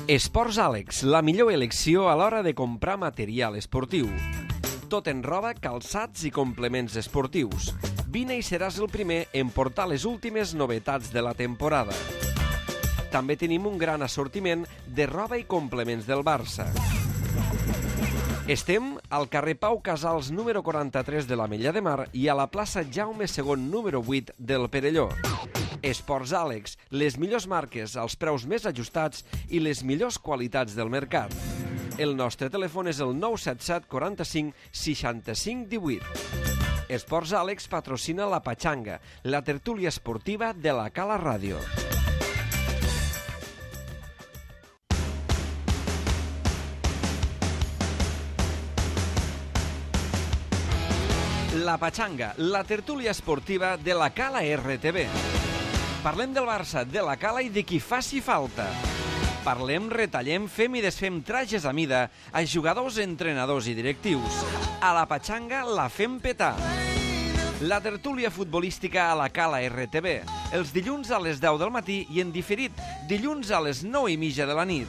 Esports Àlex, la millor elecció a l'hora de comprar material esportiu. Tot en roba, calçats i complements esportius. Vine i seràs el primer en portar les últimes novetats de la temporada. També tenim un gran assortiment de roba i complements del Barça. Estem al carrer Pau Casals número 43 de l'Ametlla de Mar i a la plaça Jaume II número 8 del Perelló. Esports Àlex, les millors marques, els preus més ajustats i les millors qualitats del mercat. El nostre telèfon és el 977 45 65 18. Esports Àlex patrocina la Patxanga, la tertúlia esportiva de la Cala Ràdio. La Patxanga, la tertúlia esportiva de la Cala RTV. Parlem del Barça, de la Cala i de qui faci falta. Parlem, retallem, fem i desfem trajes a mida a jugadors, entrenadors i directius. A la Patxanga la fem petar. La tertúlia futbolística a la Cala RTV. Els dilluns a les 10 del matí i en diferit dilluns a les 9:30 de la nit.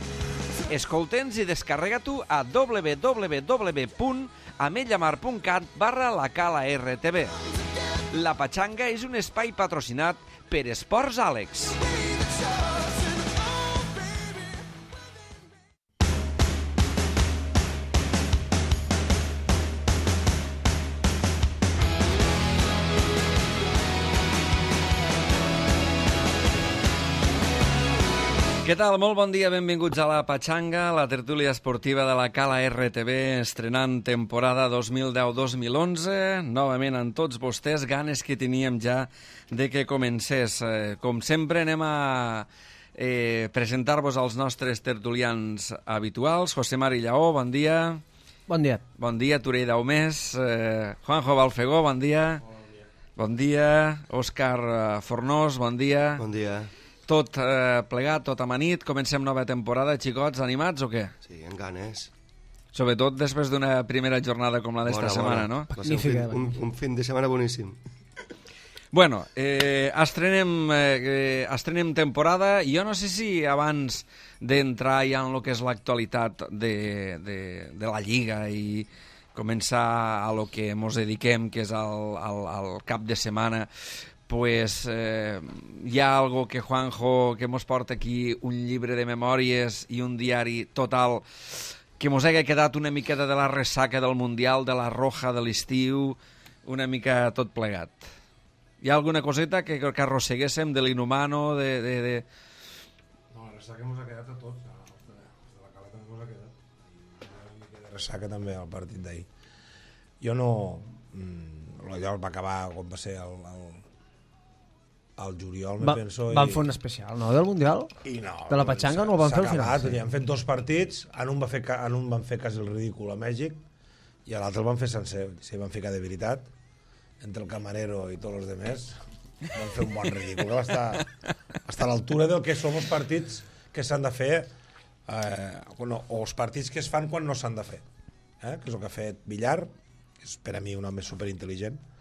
Escolta'ns i descarrega-t'ho a www.ametllamar.cat/la Cala RTV. La Patxanga és un espai patrocinat per Esports Àlex. Què tal? Molt bon dia, benvinguts a la Patxanga, la tertúlia esportiva de la Cala RTV, estrenant temporada 2010-2011. Novament amb tots vostès, ganes que teníem ja de que comencés. Com sempre anem a presentar-vos als nostres tertulians habituals. José Mari Lleó, bon dia. Bon dia. Bon dia, Turell Daumés. Juanjo Balfegó, bon dia. Bon dia. Òscar Fornós, bon dia. Bon dia. Tot plegat, tot amanit. Comencem nova temporada, xicots, animats o què? Sí, amb ganes. Sobretot després d'una primera jornada com la d'esta setmana, no? Va ser un fin de setmana boníssim. Bueno, estrenem temporada. Jo no sé si abans d'entrar ja en el que és l'actualitat de la Lliga i començar a lo que mos dediquem, que és al cap de setmana, pues hi ha algo que Juanjo, que mos porta aquí un llibre de memòries i un diari total, que mos hagi quedat una miqueta de la ressaca del Mundial, de la Roja de l'estiu, una mica tot plegat. Hi ha alguna coseta que arrosseguéssim de l'Inhumano, de... No, la ressaca mos ha quedat a tots, de la Cala també mos ha quedat. I una mica de ressaca també al partit d'ahir. Jo no... Allò va acabar quan va ser al juliol, me penso... Van fer un especial, no?, del Mundial? No, de la Patxanga no el van fer al final? Sí. Han fet 2 partits, en un van fer quasi el ridícul a Mèxic i a l'altre el van fer sencer, s'hi van ficar de veritat, entre el camarero i tots els demés, van fer un bon ridícul, que va estar a l'altura del que són els partits que s'han de fer, o els partits que es fan quan no s'han de fer, que és el que ha fet Villar, que és per a mi un home superintel·ligent.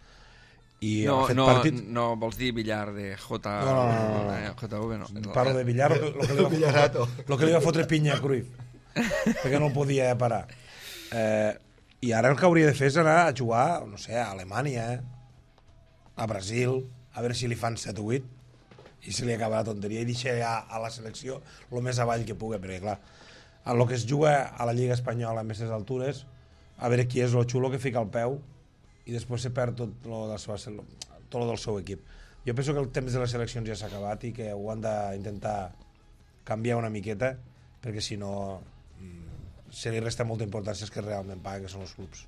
No vols dir Villar de JV, no. Parlo de Villar, el que li va fotre pinya a Cruyff, perquè no el podia parar. I ara el que hauria de fer és anar a jugar, no sé, a Alemanya, a Brasil, a veure si li fan 7 o 8 i se li acaba la tonteria i deixa ja a la selecció el més avall que pugui, perquè clar, el que es juga a la Lliga Espanyola a aquestes altures, a veure qui és el xulo que fica el peu i després se perd tot el del seu equip. Jo penso que el temps de les seleccions ja s'ha acabat i que ho han d'intentar canviar una miqueta, perquè si no se li resta molta importància als que realment paguen, que són els clubs.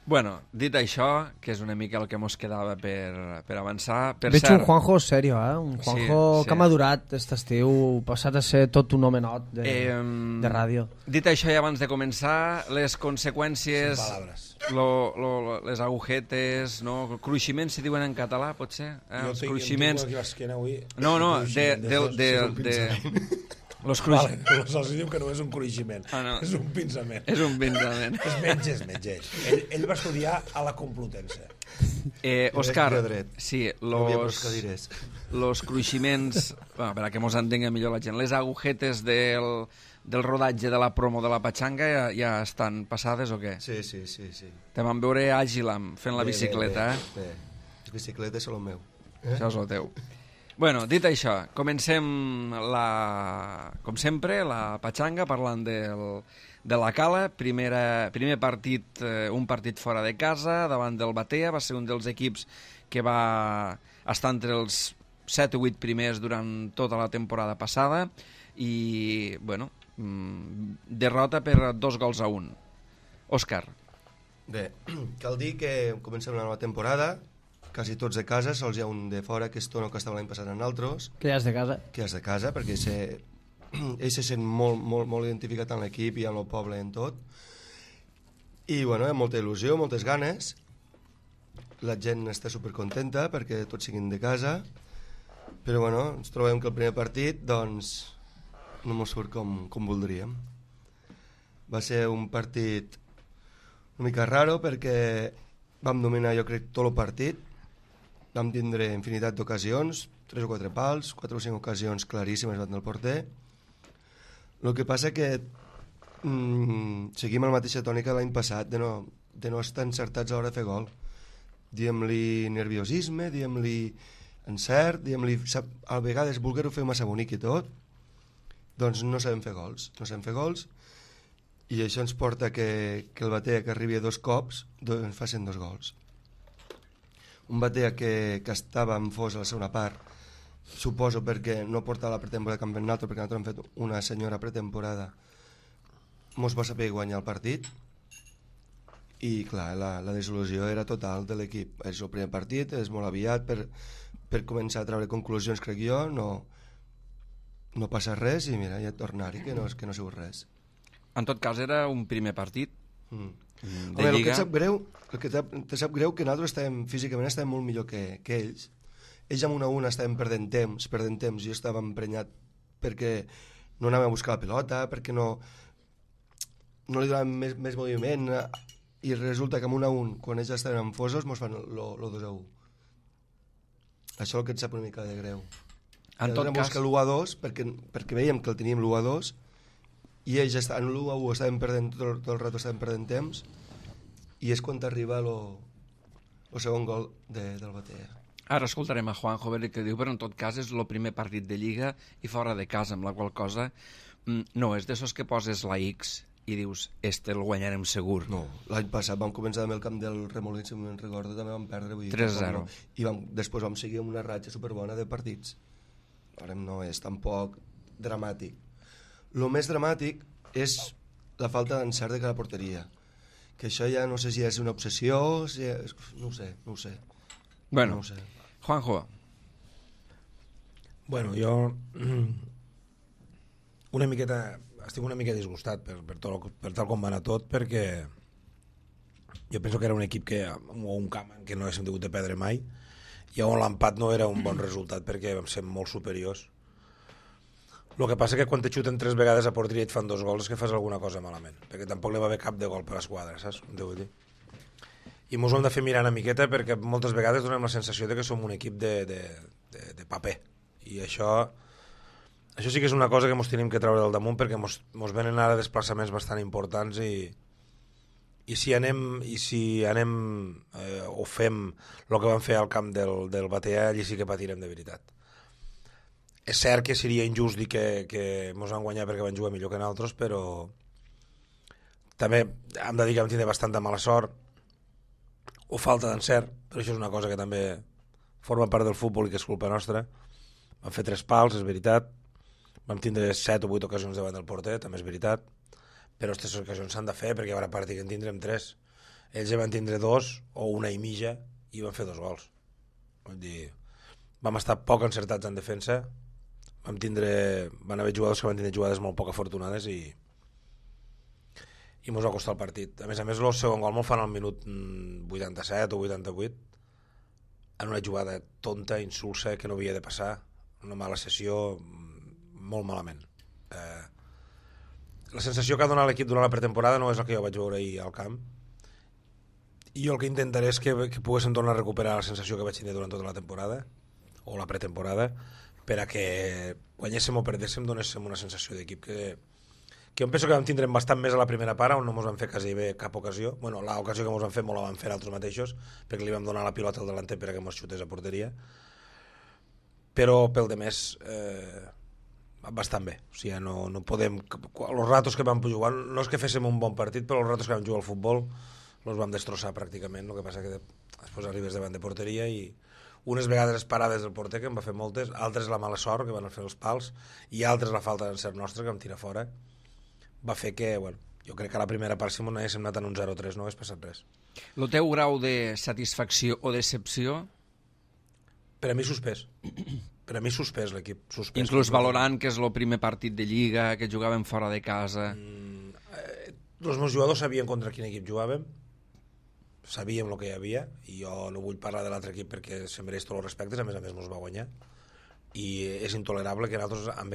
Bueno, dit això, que és una mica el que mos quedava per avançar... Veig un Juanjo serio, un Juanjo que ha madurat aquest estiu, passat a ser tot un home not de ràdio. Dit això, i abans de començar, les conseqüències... les agujetes, no? Cruiximents se diuen en català, potser? Jo tinc aquí l'esquena avui... No, Vale, els diu que no és un cruiximent, és un pinçament. És un pinçament. És metge. Ell va estudiar a la Complutense. Òscar, sí, los cruiximents, per a que mos entenga millor la gent, les agujetes del rodatge de la promo de la Patxanga ja estan passades o què? Sí. Te vam veure àgil fent la bicicleta, Bé. Les bicicletes són el meu. Això és el teu. Bueno, dit això, comencem com sempre, la Patxanga parlant de la Cala. Primer partit, un partit fora de casa, davant del Batea. Va ser un dels equips que va estar entre els 7 o 8 primers durant tota la temporada passada i, bueno, derrota per 2-1. Òscar. Bé, cal dir que comencem la nova temporada, quasi tots de casa, sols hi ha un de fora, que és Tono, que estava l'any passat en altres. Que ja és de casa. Que és de casa, perquè ell se sent molt identificat en l'equip i en el poble en tot. I, bueno, hi ha molta il·lusió, moltes ganes. La gent està supercontenta perquè tots siguin de casa. Però, bueno, ens trobem que el primer partit, doncs, no mos surt com voldríem. Va ser un partit una mica raro perquè vam dominar, jo crec, tot el partit. Vam tindre infinitat d'ocasions, 3 o 4 pals, 4 o 5 ocasions claríssimes davant del porter. El que passa que seguim la mateixa tònica l'any passat de no estar encertats a l'hora de fer gol. Diem-li nerviosisme, diem-li encert, diem-li a vegades voler-ho fer massa bonic i tot, doncs no sabem fer gols. I això ens porta que el Batea, que arribi a 2 cops, facin 2 gols. Un Batea que estava en fos a la segona part, suposo perquè no portava la pretemporada com fent l'altre, perquè nosaltres hem fet una senyora pretemporada, mos va saber guanyar el partit i clar, la desil·lusió era total de l'equip. És el primer partit, és molt aviat per començar a treure conclusions, crec jo, no passa res i mira, ja tornar-hi, que no ha sigut res. En tot cas era un primer partit de Lliga. El que te sap greu que nosaltres físicament estàvem molt millor que ells. Ells amb 1-1 estàvem perdent temps, jo estava emprenyat perquè no anàvem a buscar la pilota, perquè no li donàvem més moviment, i resulta que amb 1-1, quan ells estaven enfosos, mos fan el 2-1. Això és el que et sap una mica de greu. En tot cas, buscar l'1-2 perquè veiem que el teníem l'1-2 i ells en l'1-1 estàvem perdent tot el rato, estàvem perdent temps, i és quan arriba el segon gol del Batea. Ara escoltarem a Juanjo a veure què diu, però en tot cas és el primer partit de Lliga i fora de casa, amb la qual cosa no és d'esos que poses la X i dius, el guanyarem segur. No, l'any passat vam començar amb el camp del Remolins, si me'n recordo, també vam perdre 3-0. I després vam seguir amb una ratxa superbona de partits. Ara no és tampoc dramàtic. El més dramàtic és la falta d'encert de cada porteria, que això ja no sé si és una obsessió, no ho sé. Bueno, Juanjo. Bueno, jo estic una mica disgustat per tal com va anar tot, perquè jo penso que era un equip o un camp en què no haguéssim hagut de perdre mai, i on l'empat no era un bon resultat perquè vam ser molt superiors. El que passa que quan te xuten 3 vegades a porteria i et fan 2 gols és que fas alguna cosa malament, perquè tampoc li va haver cap de gol per l'esquadra, saps? Devo dir. I mos ho hem de fer mirar una miqueta perquè moltes vegades donem la sensació de que som un equip de paper, i això sí que és una cosa que mos tenim que treure del damunt, perquè mos venen ara desplaçaments bastant importants i si anem o fem el que vam fer al camp del Batea, allí sí que patirem de veritat. És cert que seria injust dir que mos van guanyar perquè van jugar millor que nosaltres, però també hem de dir que vam tindre bastanta mala sort o falta d'encert, però això és una cosa que també forma part del futbol i que és culpa nostra. Vam fer 3 pals, és veritat, vam tindre 7 o 8 ocasions davant del porter, també és veritat, però aquestes ocasions s'han de fer perquè hi haurà partit que en tindrem 3. Ells ja van tindre 2 o 1 i mitja i van fer 2 gols. Vull dir, vam estar poc encertats en defensa, van haver jugadors que van tindre jugades molt poc afortunades i mos va costar el partit. A més, el segon gol me'l fan al minut 87 o 88 en una jugada tonta, insulsa, que no havia de passar, una mala sessió, molt malament. La sensació que ha donat l'equip durant la pretemporada no és la que jo vaig veure ahir al camp, i jo el que intentaré és que poguéssim tornar a recuperar la sensació que vaig tenir durant tota la temporada o la pretemporada, per a que guanyéssim o perdéssim, donéssim una sensació d'equip que jo penso que vam tindre bastant més a la primera part, on no ens van fer quasi bé cap ocasió. Bueno, l'ocasió que ens van fer molt la van fer altres mateixos, perquè li vam donar la pilota al delanter per a que ens xutés a porteria, però pel de més bastant bé. O sigui, no podem... Els ratos que vam jugar, no és que féssim un bon partit, però els ratos que vam jugar al futbol els vam destrossar pràcticament. El que passa que després arribes davant de porteria i unes vegades parades del porter, que en va fer moltes, altres la mala sort, que van fer els pals, i altres la falta d'encert nostre, que vam tirar fora, va fer que, bueno, jo crec que a la primera part, si m'ho anéssim anat en un 0-3, no hagués passat res. El teu grau de satisfacció o decepció? Per a mi suspès. Per a mi suspès l'equip. Inclús valorant que és el primer partit de Lliga, que jugàvem fora de casa. Els meus jugadors sabien contra quin equip jugàvem, sabíem el que hi havia, i jo no vull parlar de l'altre equip perquè se mereix tots els respectes, a més ens va guanyar, i és intolerable que nosaltres amb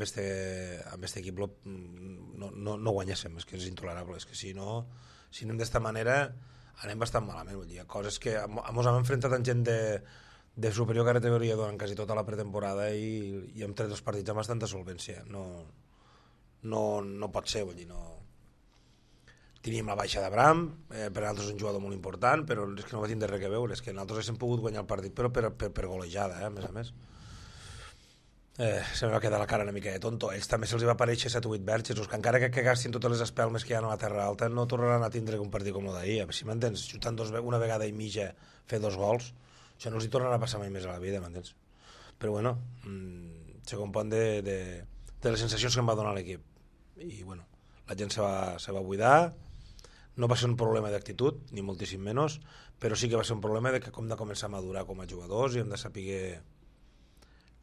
este equip no guanyéssim. És que és intolerable, és que si anem d'esta manera anem bastant malament. Vull dir, coses que ens hem enfrontat amb gent de superior categoria durant quasi tota la pretemporada i hem tret els partits amb bastanta solvència. No pot ser, vull dir, no. Teníem la baixa d'Abraham, per a nosaltres un jugador molt important, però és que no va tindre res a veure, és que nosaltres hem pogut guanyar el partit, però per golejada, a més a més. Se me va quedar la cara una mica de tonto. Ells també se'ls va aparèixer 7 o 8 verges, que encara que gastin totes les espelmes que hi ha a la Terra Alta, no tornaran a tindre un partit com el d'ahir. Si m'entens, xutant una vegada i mitja, fer 2 gols, això no els hi tornarà a passar mai més a la vida, m'entens? Però bueno, se compon de les sensacions que em va donar l'equip. I bueno, la gent se va buidar, no va ser un problema d'actitud, ni moltíssim menys, però sí que va ser un problema de que hem de començar a madurar com a jugadors i hem de saber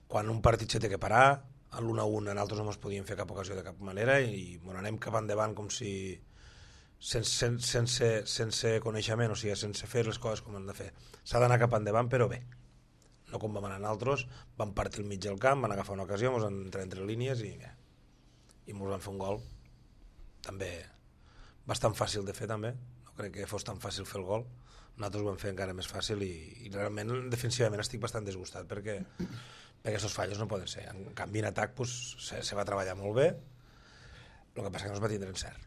quan un partit se té que parar, a l'1-1 nosaltres no ens podíem fer cap ocasió de cap manera i anem cap endavant com si sense coneixement, o sigui, sense fer les coses com hem de fer. S'ha d'anar cap endavant, però bé, no com vam anar nosaltres, vam partir al mig del camp, van agafar una ocasió, ens van entrar entre línies i ens van fer un gol també bastant fàcil de fer, també. No crec que fos tan fàcil fer el gol, nosaltres ho vam fer encara més fàcil i realment defensivament estic bastant desgustat perquè aquests fallos no poden ser. En canvi, en atac se va treballar molt bé, el que passa que no es va tindre encert.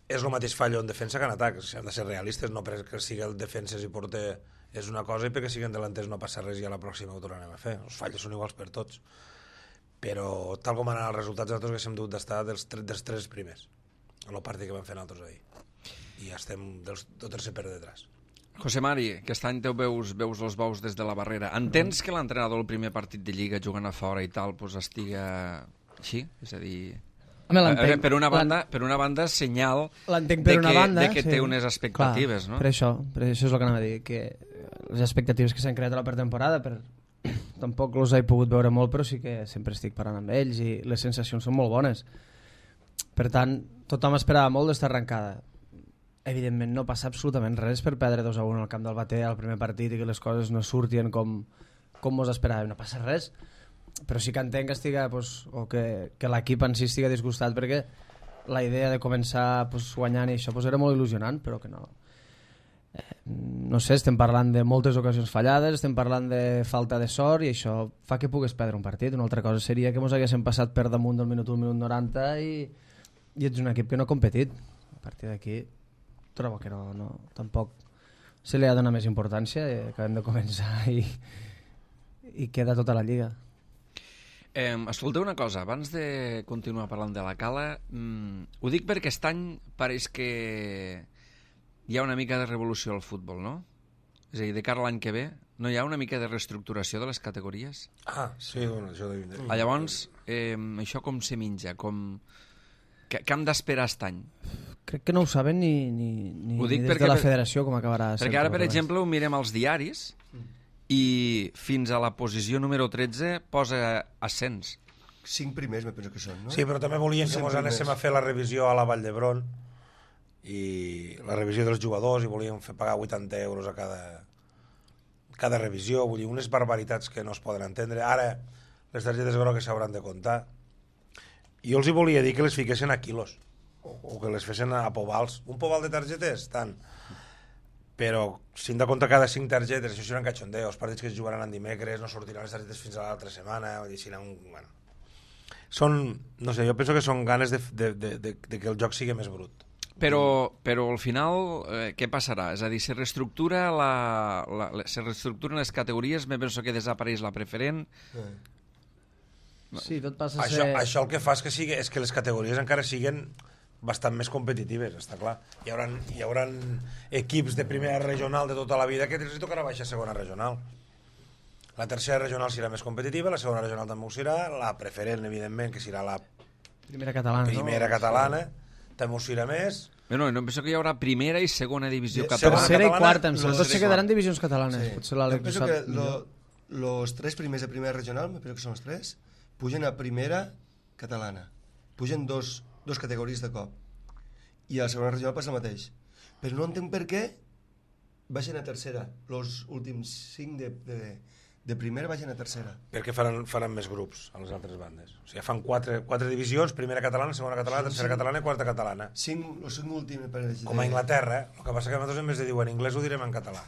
És el mateix fallo en defensa que en atac, si hem de ser realistes, no perquè sigui el defenses i porter és una cosa i perquè siguin delanters no passa res i a la pròxima ho tornarem a fer. Els fallos són iguals per tots, però tal com han anat els resultats nosaltres haguéssim dut d'estar dels 3 primers en el partit que vam fer nosaltres ahir i estem del tercer per detrás. José Mari, aquest any veus els bous des de la barrera. Entens que l'entrenador el primer partit de Lliga jugant a fora i tal estiga així? És a dir... Per una banda senyal de que té unes expectatives, no? Per això és el que anava a dir, que les expectatives que s'han creat a la pretemporada, tampoc els he pogut veure molt, però sí que sempre estic parlant amb ells i les sensacions són molt bones. Per tant, tothom esperava molt d'esta arrencada. Evidentment no passa absolutament res per perdre 2-1 al camp del Bater al primer partit i que les coses no surtien com mos esperàvem, no passa res, però sí que entenc o que l'equip en si estigui disgustat perquè la idea de començar guanyant i això era molt il·lusionant, però que no sé, estem parlant de moltes ocasions fallades, estem parlant de falta de sort i això fa que pugues perdre un partit. Una altra cosa seria que ens haguéssim passat per damunt del minut 1, minut 90 i ets un equip que no ha competit. A partir d'aquí trobo que tampoc se li ha de donar més importància, acabem de començar i queda tota la Lliga. Escolteu una cosa, abans de continuar parlant de la Cala, ho dic perquè aquest any pareix que hi ha una mica de revolució al futbol, no? És a dir, de cara a l'any que ve, no hi ha una mica de reestructuració de les categories? Sí, bueno, això de vindre. Llavors, això com se menja? Què hem d'esperar aquest any? Crec que no ho saben ni des de la federació com acabarà. Perquè ara, per exemple, ho mirem als diaris i fins a la posició número 13 posa ascens. 5 primers, me penso que són, no? Sí, però també volien que ens anéssim a fer la revisió a la Vall d'Hebron i la revisió dels jugadors i volien pagar 80 euros a cada revisió, vull dir, unes barbaritats que no es poden entendre. Ara les targetes grogues s'hauran de comptar Jo els hi volia dir que les fiquessin a quilos, o que les fessin a povals. Un poval de targetes, tant. Però si hem de comptar cada 5 targetes, això seran cachondeo, els partits que es jugaran en dimecres, no sortiran les targetes fins a l'altra setmana, vull dir, si bueno. Són, no sé, jo penso que són ganes de que el joc sigui més brut. Però al final, què passarà? És a dir, se reestructuren les categories, me penso que desapareix la preferent. Sí, tot passa a ser... Això el que fa és que les categories encara siguen bastant més competitives, està clar. Hi haurà equips de primera regional de tota la vida que els tocarà baixar a segona regional. La tercera regional serà més competitiva, la segona regional també ho serà, la preferent, evidentment, que serà la primera catalana, també ho serà més. No, em penso que hi haurà primera i segona divisió catalana. Tercera i quarta, em sembla. Tots se quedaran divisions catalanes. Potser l'Àlex ho sap millor. Los 3 primers de primera regional, me penso que són els 3, pugen a primera catalana. Pugen dos categories de cop. I a la segona regional passa el mateix. Però no entenc per què baixen a tercera. Els últims 5 de primera baixen a tercera. Perquè faran més grups a les altres bandes. O sigui, fan 4 divisions, primera catalana, segona catalana, tercera catalana i quarta catalana. Els 5 últims per com a Anglaterra, el que passa que nosaltres en vez de dir en anglès ho direm en català.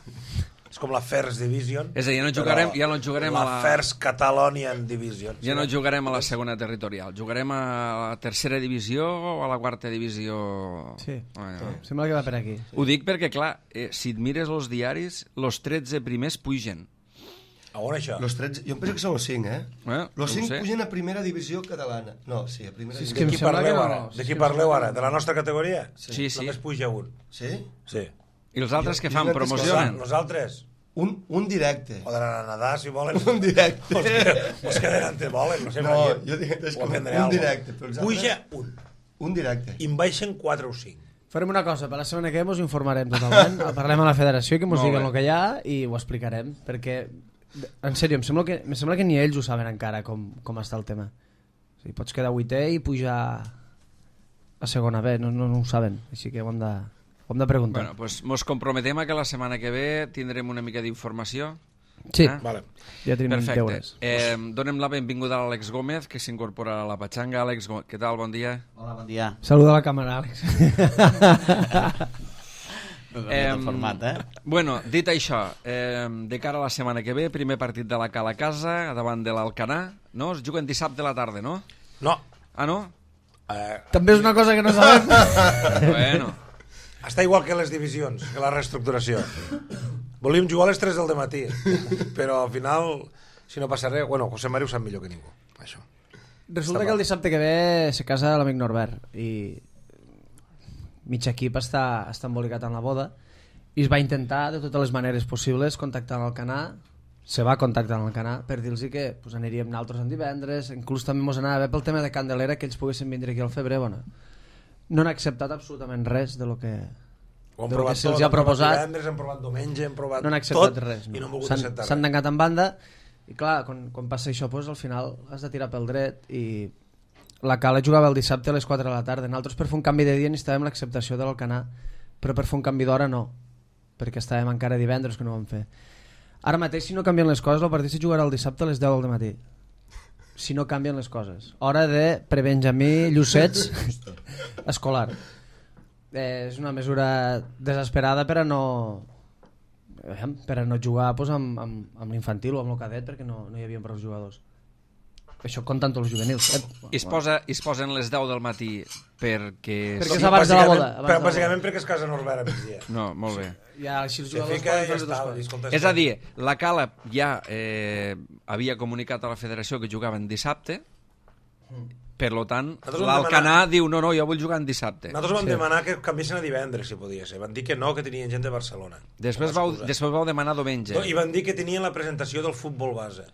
És com la First Division. És a dir, ja no jugarem a la First Catalonian Division. Ja no jugarem a la segona territorial. Jugarem a la tercera divisió o a la quarta divisió. Sí, sembla que va per aquí. Ho dic perquè, clar, si et mires els diaris, els 13 primers pugen. A on això? Los 13, jo em penso que són els 5, Els 5 pugen a primera divisió catalana. No, sí, a primera divisió. De qui parleu ara? De qui parleu ara? De la nostra categoria? Sí. Només puja un. Sí? Sí. I els altres que fan promocionen? Nosaltres? Un directe. Poden anar a nedar, si volen. Un directe. Os queden antes volen, no sé. No, jo dic que és com un directe. Puja un. Un directe. I en baixen 4 o 5. Farem una cosa, per la setmana que ve us informarem totalment, parlem a la federació, que ens diguen el que hi ha i ho explicarem, perquè, en sèrio, em sembla que ni ells ho saben encara com està el tema. O sigui, pots quedar 8è i pujar a segona B, no ho saben, així que ho hem de preguntar. Bueno, pues mos comprometem a que la setmana que ve tindrem una mica d'informació. Sí, vale. Ja tenim deures. Donem la benvinguda a l'Àlex Gómez, que s'incorpora a la Patxanga. Àlex, què tal? Bon dia. Hola, bon dia. Saluda a la càmera, Àlex. El format, Bueno, dit això, de cara a la setmana que ve, primer partit de la Cala Casa, davant de l'Alcanar, no? Es juguen dissabte a la tarda, no? No. Ah, no? També és una cosa que no sabem. Bueno. Està igual que les divisions, que la reestructuració. Volíem jugar a les 3 del matí, però al final, si no passa res... Bueno, José Mari ho sap millor que ningú, això. Resulta que el dissabte que ve se casa l'amic Norbert i mig equip està embolicat en la boda i es va intentar de totes les maneres possibles contactar amb el Canà, se va contactar amb el Canà per dir-los que pues, aniríem nosaltres en divendres, inclús també ens anava bé pel tema de Candelera que ells poguessin vindre aquí al febrer. Bueno, no han acceptat absolutament res de lo que se'ls ha proposat. Divendres, hem provat diumenge, hem provat no han acceptat tot res, no. I no han volgut acceptar res. S'han tancat en banda i clar, quan passa això pues, al final has de tirar pel dret i la Cala jugava el dissabte a les 4 de la tarda. Nosaltres per fer un canvi de dia necessitàvem l'acceptació de l'Alcanar, però per fer un canvi d'hora no, perquè estàvem encara divendres que no ho vam fer. Ara mateix si no canvien les coses el partit se jugarà el dissabte a les 10 del matí, si no canvien les coses. Hora de prebenjamí Llucets escolar. És una mesura desesperada per a no jugar pues, amb l'infantil o amb el cadet perquè no hi havia prou jugadors. Això comptant tots els juvenils. I es posen les 10 del matí perquè és abans de la boda. Bàsicament perquè es casa Norbert a migdia. No, molt bé. Ja, així els jugadors és a dir, la Cala ja havia comunicat a la federació que jugaven dissabte, per tant, l'Alcanar diu no, jo vull jugar en dissabte. Nosaltres vam demanar que canviessin a divendres, si podia ser. Van dir que no, que tenien gent de Barcelona. Després vau demanar diumenge. I van dir que tenien la presentació del futbol base.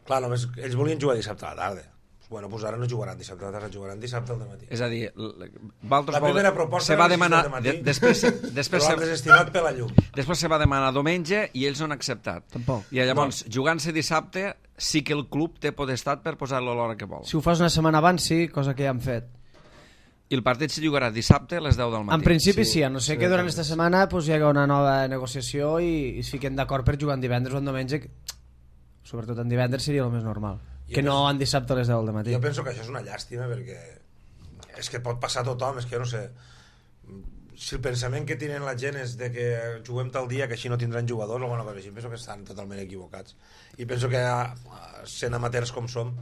Clar, només ells volien jugar dissabte a la tarda. Bueno, doncs ara no jugaran dissabte a la tarda, jugaran dissabte al matí. És a dir, la primera proposta se va demanar després estimat per la llum. Després se va demanar diumenge i ells no han acceptat. Tampoc. I llavors, jugant-se dissabte, sí que el club té potestat per posar-lo a l'hora que vol. Si ho fas una setmana abans, sí, cosa que ja han fet. I el partit se jugarà dissabte a les 10 del matí. En principi sí, a no ser que durant aquesta setmana pues, hi hagi una nova negociació i es fiquen d'acord per jugar en divendres o en diumenge. Sobretot en divendres seria el més normal. que no en dissabte a les 10 del matí. Jo penso que això és una llàstima perquè és que pot passar a tothom, és que jo no sé, si el pensament que tenen la gent és de que juguem tal dia que així no tindran jugadors o alguna cosa així, penso que estan totalment equivocats i penso que sent amateurs com som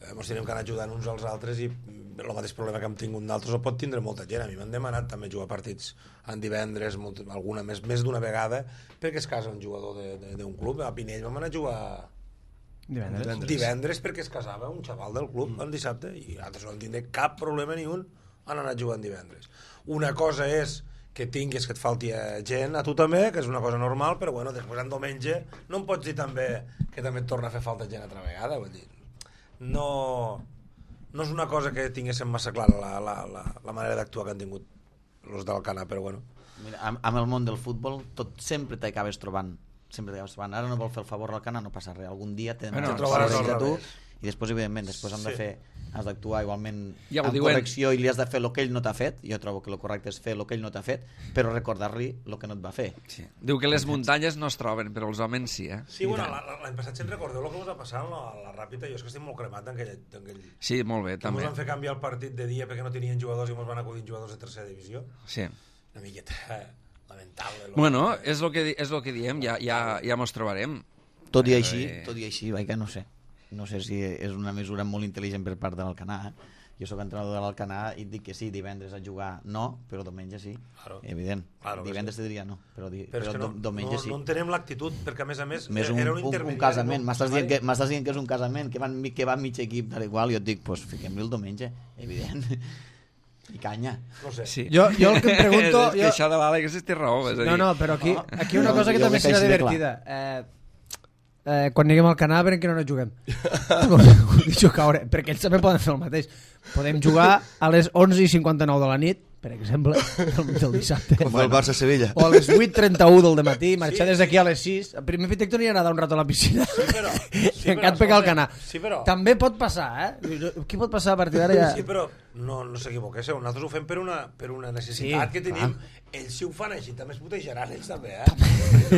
ens tenim que anar ajudant uns als altres i el mateix problema que hem tingut d'altres el pot tindre molta gent. A mi m'han demanat també jugar partits en divendres, alguna més d'una vegada, perquè es casa un jugador d'un club. A Pinell vam anar a jugar divendres perquè es casava un xaval del club el dissabte i altres no en tindré cap problema ni un en anar jugant divendres. Una cosa és que tinguis que et falti gent a tu també, que és una cosa normal, però bueno, després en diumenge no em pots dir també que també et torna a fer falta gent altra vegada, vull dir, no és una cosa que tinguéssim massa clara la manera d'actuar que han tingut els d'Alcanar, però bueno. Mira, amb el món del futbol tot sempre t'acabes trobant. Ara no vol fer el favor a l'Alcanar, no passa res, algun dia t'he de a tu i després evidentment has d'actuar igualment amb correcció i li has de fer el que ell no t'ha fet. Jo trobo que el correcte és fer el que ell no t'ha fet, però recordar-li el que no et va fer. Diu que les muntanyes no es troben, però els homes sí, Sí, bueno, l'any passat se'n recordeu el que us va passar a la Ràpita? Jo és que estic molt cremat d'enquell. Sí, molt bé, també. Ens van fer canviar el partit de dia perquè no tenien jugadors i ens van acudir jugadors de tercera divisió. Sí. Una miqueta lamentable. Bueno, és el que diem, ja mos trobarem. Tot i així, vaig que no sé si és una mesura molt intel·ligent per part de l'Alcanar. Jo soc entrenador de l'Alcanar i et dic que sí, divendres a jugar no, però diumenge sí, evident. Divendres te diria no, però diumenge sí. No entenem l'actitud, perquè a més era un intermediari. Un casament, m'estàs dient que és un casament, que va mig equip tal igual, i jo et dic, doncs fiquem-li el diumenge, evident. I canya. No sé. Sí. Jo el que em pregunto... Que això de l'Àlex té raó. No, però aquí una cosa que també serà divertida. Quan anirem al Canà veurem que no juguem. Perquè ells també poden fer el mateix. Podem jugar a les 11:59 de la nit, per exemple, del dissabte. Com el Barça-Sevilla. O a les 8:31 del matí, marxar des d'aquí a les 6. El primer fet que anirà a nedar un rato a la piscina. I encara pegar al Canà. També pot passar, Què pot passar a partir d'ara ja? Sí, però no s'equivoquéssiu. Nosaltres ho fem per una necessitat que tenim. Ells si ho fan així també es putejaran ells també,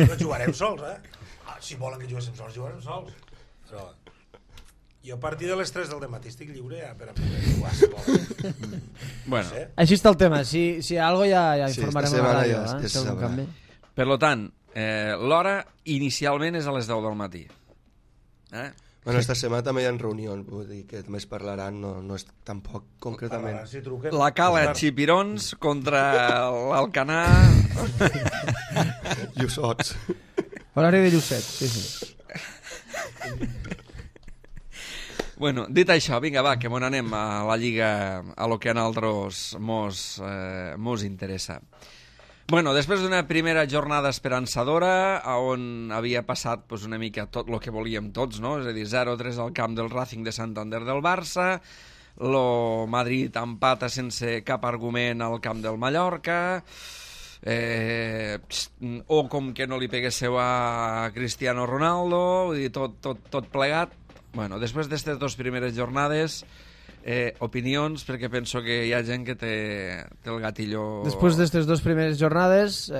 No jugarem sols, Si volen que juguéssim sols, jugarem sols. Però jo a partir de les 3 del matí estic lliure per a poder jugar, si volen. Bueno. Així està el tema. Si hi ha alguna cosa ja informarem a la ràdio. Per tant, l'hora inicialment és a les 10 del matí. Bueno, esta setmana també hi ha reunions, vull dir que també es parlaran, no és tampoc concretament. La cala Xipirons contra l'Alcanar. Llussots. Horari de Llusset, sí. Bueno, dit això, vinga, va, que anem a la Lliga, a lo que a nosaltres mos interessa. Bueno, després d'una primera jornada esperançadora, on havia passat una mica tot el que volíem tots, no? És a dir, 0-3 al camp del Racing de Santander del Barça, lo Madrid empata sense cap argument al camp del Mallorca, o com que no li peguéssiu a Cristiano Ronaldo, vull dir, tot plegat. Bueno, després d'aquestes 2 primeres jornades, opinions, perquè penso que hi ha gent que té el gatillo... Després d'aquestes 2 primeres jornades,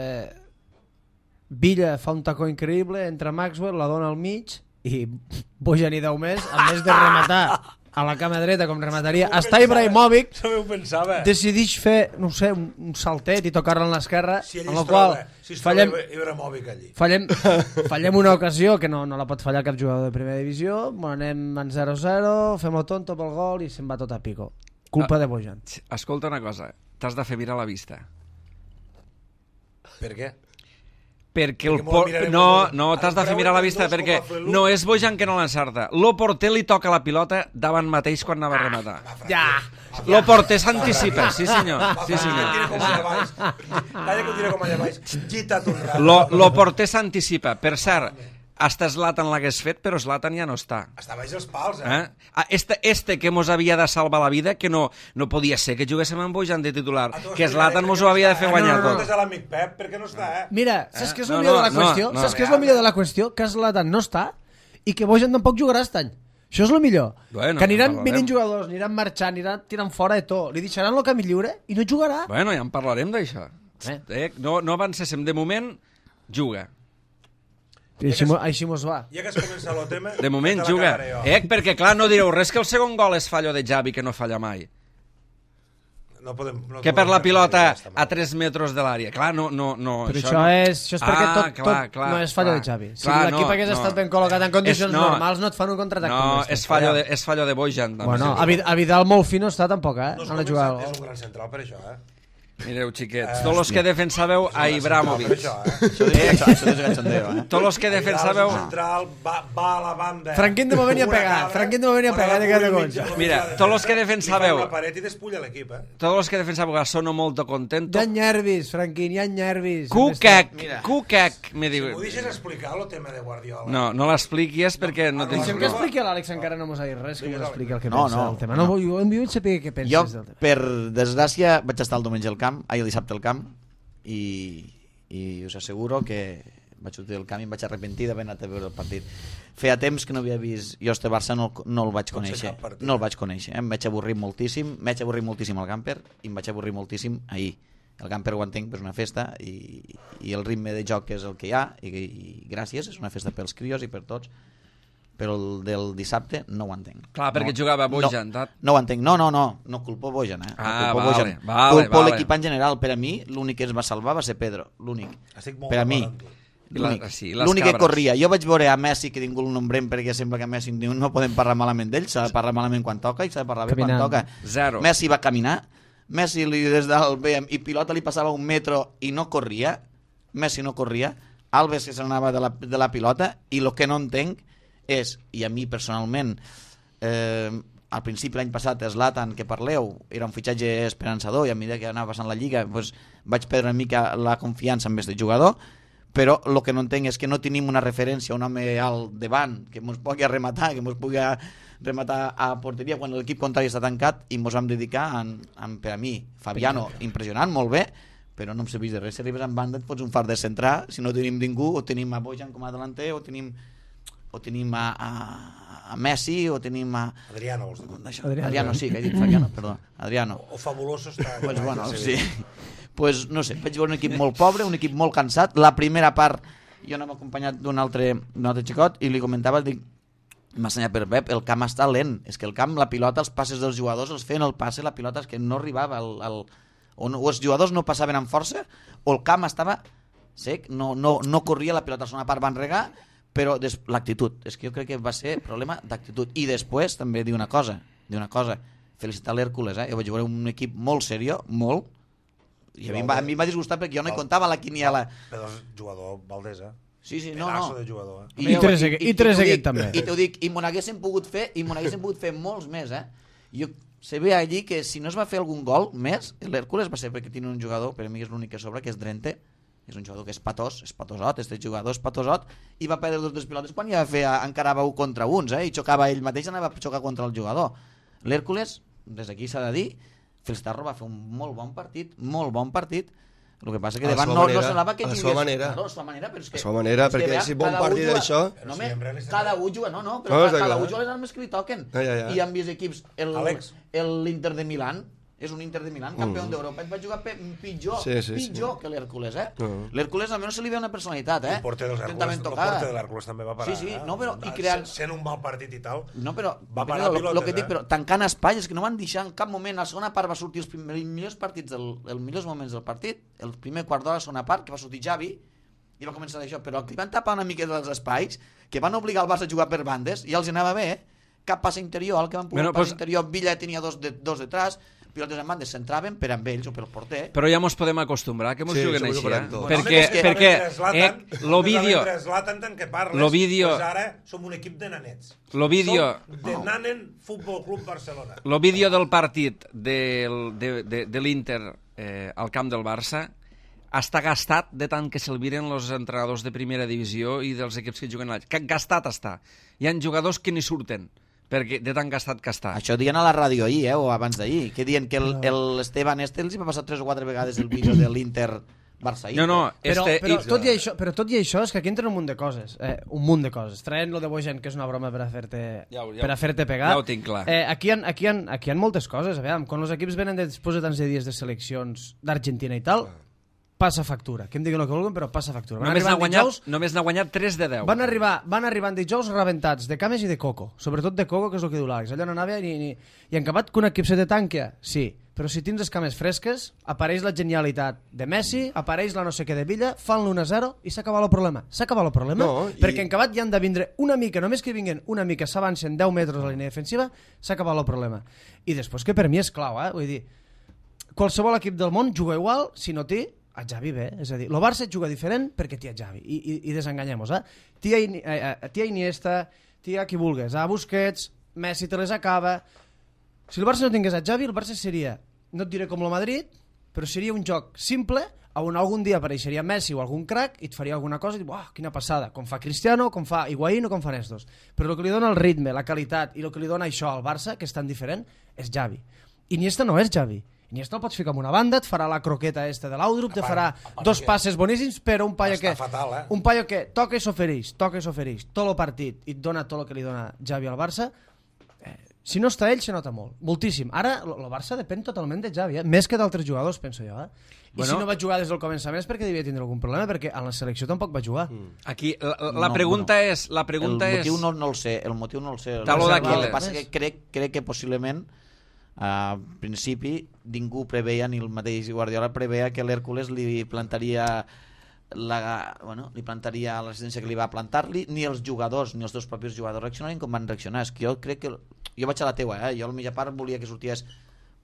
Villa fa un tacó increïble, entra Maxwell, la dona al mig, i Bojan i 10 més, a més de rematar a la cama dreta com remataria, està Ibrahimovic, decideix fer, no sé, un saltet i tocar-la en l'esquerra, amb la qual fallem una ocasió que no la pot fallar cap jugador de primera divisió, anem en 0-0, fem el tonto pel gol i se'n va tot a pico. Culpa de Bojan. Escolta una cosa, t'has de fer mirar la vista. Per què? Perquè no t'has de fer mirar la vista, perquè no és Bojan que no l'encerta. Lo porter li toca la pilota davant mateix quan anava a rematar. Ja! Lo porter s'anticipa, sí senyor. Calla que ho diré com allà baix. Gita't un rato. Lo porter s'anticipa. Per cert, hasta Zlatan l'hagués fet, però Zlatan ja no està. Està baix els pals, Este que mos havia de salvar la vida, que no podia ser que juguéssim amb Bojan de titular, que Zlatan mos ho havia de fer guanyar tot. No és l'amic Pep, perquè no està, Mira, saps què és el millor de la qüestió? Saps què és el millor de la qüestió? Que Zlatan no està i que Bojan tampoc jugarà aquest any. Això és el millor. Que aniran venint jugadors, aniran marxant, aniran tirant fora de tot, li deixaran el camí lliure i no jugarà. Bueno, ja en parlarem d'això. No avancéssim de moment, juga. I així mos va. Ja que has començat el tema... De moment juga. Perquè clar, no direu res que el segon gol és fallo de Xavi, que no falla mai. Que per la pilota a 3 metres de l'àrea. Clar, no... Però això és perquè tot no és fallo de Xavi. Si l'equip hagués estat ben col·locat en condicions normals, no et fan un contraatac. No, és fallo de Bojan. Bueno, a Vidal molt fi no està tampoc, eh? No és un gran central per això, Mireu, xiquets, tots els que defensàveu a Ibrahimovic. Això és gachondeo, Tots els que defensàveu... Va a la banda. Franquín de moment hi ha pegat. Mira, tots els que defensàveu... la paret i despulla l'equip, Tots els que defensàveu a Sono molto contento... Hi ha nervis, Franquín, hi ha nervis. Cucac, me diu... Si m'ho deixes explicar el tema de Guardiola... No l'expliquies perquè no tens... Deixem que expliqui l'Àlex, encara no mos ha dit res, que mos expliqui el que pensa del tema. No, jo em vull saber què penses del tema. Jo, per desgràcia, vaig estar el diumenge al camp, el dissabte al camp, i us asseguro que vaig sortir del camp i em vaig arrepentir d'haver anat a veure el partit. Feia temps que no havia vist jo este Barça, no el vaig conèixer. No el vaig conèixer. Em vaig avorrir moltíssim al camper i em vaig avorrir moltíssim ahir. El camper ho entenc, però és una festa i el ritme de joc és el que hi ha i gràcies, és una festa pels crios i per tots, però el del dissabte no ho entenc. Clar, perquè jugava Bojan. No ho entenc, no culpo Bojan, vale. Culpo l'equip en general. Per a mi, l'únic que es va salvar va ser Pedro, l'únic. Per a mi, l'únic que corria. Jo vaig veure a Messi, que ningú el nombrem perquè sembla que a Messi no podem parlar malament d'ell, s'ha de parlar malament quan toca i s'ha de parlar bé quan toca. Zero. Messi va caminar, Messi des del BM i pilota li passava un metro i no corria, Messi no corria, Alves que se n'anava de la pilota, i el que no entenc és, i a mi personalment al principi l'any passat Zlatan, que parleu, era un fitxatge esperançador i a mesura que anava passant la Lliga doncs, vaig perdre una mica la confiança en este jugador, però el que no entenc és que no tenim una referència, un home al davant que ens pugui rematar, que ens pugui rematar a porteria quan l'equip contrari està tancat, i ens vam dedicar per a mi, Fabiano, impressionant, molt bé, però no em serveix de res. Si arribes en banda et fots un far de centrar, si no tenim ningú, o tenim a Bojan com a delanter, o tenim a Messi, o tenim a... Adriano, vols dir? Adriano, sí, que he dit Fabiano, perdó. Adriano. O Fabuloso està... Pues bueno, sí. Pues no sé, vaig veure un equip molt pobre, un equip molt cansat. La primera part, jo anava acompanyat d'un altre xicot, i li comentava, dic, m'ha assenyat per Pep, el camp està lent. És que el camp, la pilota, els passes dels jugadors, els feien el passe, la pilota és que no arribava o els jugadors no passaven amb força, o el camp estava sec, no corria, la pilota a la segona part van regar, però l'actitud, és que jo crec que va ser problema d'actitud. I després també dir una cosa, felicitar l'Hèrcules, jo vaig veure un equip molt seriós, molt, i a mi em va disgustar perquè jo no hi comptava la quiniela. Però el jugador Valdés, Sí, no. Pedaço de jugador, I Trezeguet també. I t'ho dic, i m'ho n'haguessin pogut fer molts més, Jo se ve allí que si no es va fer algun gol més, l'Hèrcules va ser perquè tiene un jugador, per a mi és l'únic que sobra, que és Drente, és un jugador que és patosot, este jugador és patosot, i va perdre 2 pilotes quan encarava 1 contra 1, i xocava ell mateix, anava a xocar contra el jugador. L'Hèrcules, des d'aquí s'ha de dir, felicitar-lo, va fer un molt bon partit, el que passa que davant no semblava que tingués... A la seva manera, perquè si bon partit d'això... Cada un juga, però cada un juga les armes que li toquen. I han vist equips, l'Inter de Milán, és un Inter de Milán, campió d'Europa, et va jugar pitjor que l'Hèrcules, L'Hèrcules almenys se li ve una personalitat, El porter de l'Hèrcules també va parar. Sí, no, però... Sent un mal partit i tal, no, però va parar pilotes, el que dic, però tancant espais, és que no van deixar en cap moment, a la segona part va sortir els millors partits, els millors moments del partit, el primer quart d'hora a la segona part, que va sortir Xavi, i va començar això, però que van tapar una mica dels espais, que van obligar el Barça a jugar per bandes, i els anava bé, cap passe interior, el que van poder passe interior, Villa tenia dos detrás, pilotes en bandes s'entraven per amb ells o pel porter. Però ja mos podem acostumbrar que mos juguen així, perquè lo vídeo... Lo vídeo... Ara som un equip de nanets. Lo vídeo... Som de Nanen Futbol Club Barcelona. Lo vídeo del partit de l'Inter al camp del Barça està gastat de tant que se'l miren els entrenadors de primera divisió i dels equips que juguen allà. Gastat està. Hi ha jugadors que ni surten perquè de tan gastat que està. Això diuen a la ràdio ahir, o abans d'ahir, que diuen que l'Esteban els va passar 3 o 4 vegades el vídeo de l'Inter Barça. Però tot i això és que aquí entren un munt de coses. Traient lo de Bojan, que és una broma per a fer-te pegar. Ja ho tinc clar. Aquí hi ha moltes coses. A veure, quan els equips venen després de tants de dies de seleccions d'Argentina i tal, passa factura. Que em diguin el que vulguin, però passa factura. Només n'ha guanyat 3 de 10. Van arribar en dijous rebentats de cames i de coco. Sobretot de coco, que és el que diu l'Àlex. Allò no anava i en acabat que un equip se te tanca, sí. Però si tens les cames fresques, apareix la genialitat de Messi, apareix la no sé què de Villa, fan l'1-0 i s'acaba el problema. S'acaba el problema, perquè en acabat hi han de vindre una mica, només que vinguin una mica, s'avancen 10 metres a la línia defensiva, s'acaba el problema. I després que per mi és clau, vull dir, qualsevol equip del món juga igual si no té a Xavi bé, és a dir, el Barça juga diferent perquè té a Xavi, i desenganyem-nos, té a Iniesta, té a qui vulgues, a Busquets, Messi te les acaba. Si el Barça no tingués a Xavi, el Barça seria, no et diré com el Madrid, però seria un joc simple on algun dia apareixeria Messi o algun crack i et faria alguna cosa i dius, uah, quina passada, com fa Cristiano, com fa Higuaín o com fan estos. Però el que li dona el ritme, la qualitat i el que li dona això al Barça, que és tan diferent, és Xavi. Iniesta no és Xavi. Iniesta el pots ficar en una banda, et farà la croqueta esta de l'Audrup, te farà dos passes boníssims, però un paio que toca i s'ofereix tot el partit i et dona tot el que li dona Xavi al Barça. Si no està ell, se nota molt, moltíssim. Ara el Barça depèn totalment de Xavi, més que d'altres jugadors, penso jo. I si no va jugar des del començament és perquè devia tindre algun problema, perquè a la selecció tampoc va jugar. Aquí la pregunta és... El motiu no el sé. El que passa que crec que possiblement a principi ningú preveia, ni el mateix Guardiola preveia que l'Hèrcules li plantaria la residència que li va plantar-li, ni els jugadors, ni els dos propis jugadors reaccionarien com van reaccionar. És que jo crec que... Jo vaig a la teua, jo a la mitja part volia que sorties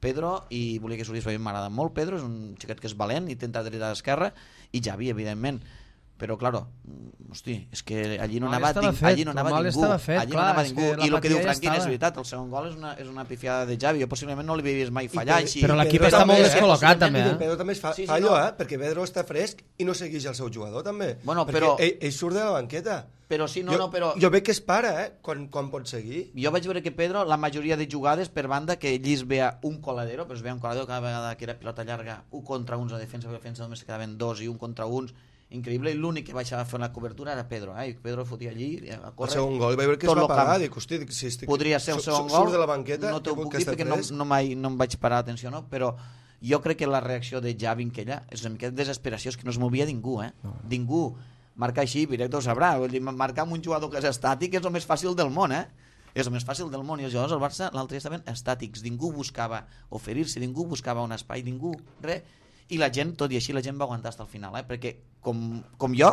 Pedro i volia que sortís, m'agrada molt Pedro, és un xiquet que és valent, intenta dreta d'esquerra, i Xavi, evidentment. Però, claro, hosti, és que allí no anava ningú. Allí no anava ningú. I el que diu Franquín és veritat, el segon gol és una pifiada de Xavi. Jo possiblement no li havia vist mai fallar així. Però l'equip està molt descol·locat, també. Pedro també fa allò, perquè Pedro està fresc i no segueix el seu jugador, també. Perquè ell surt de la banqueta. Però sí, però... Jo veig que es para, quan pot seguir. Jo vaig veure que Pedro, la majoria de jugades per banda, que ell es veia un coladero, però es veia un coladero cada vegada que era pilota llarga, un contra uns a defensa només quedaven dos i un contra uns, increïble, i l'únic que baixava a fer la cobertura era Pedro, i Pedro fotia allí a córrer. El segon gol, vaig veure que es va pagar, dic, hosti, podria ser el segon gol, surt de la banqueta, no t'ho puc dir perquè no em vaig parar atenció, no? Però jo crec que la reacció de Xavi en aquella és una mica de desesperació, és que no es movia ningú, ningú. Marcar així, directe ho sabrà, vull dir, marcar amb un jugador que és estàtic és el més fàcil del món, és el més fàcil del món, i els jugadors del Barça l'altre dia estaven estàtics, ningú buscava oferir-se, ningú buscava un espai, ningú, res. I la gent, tot i així, la gent va aguantar fins al final, perquè com jo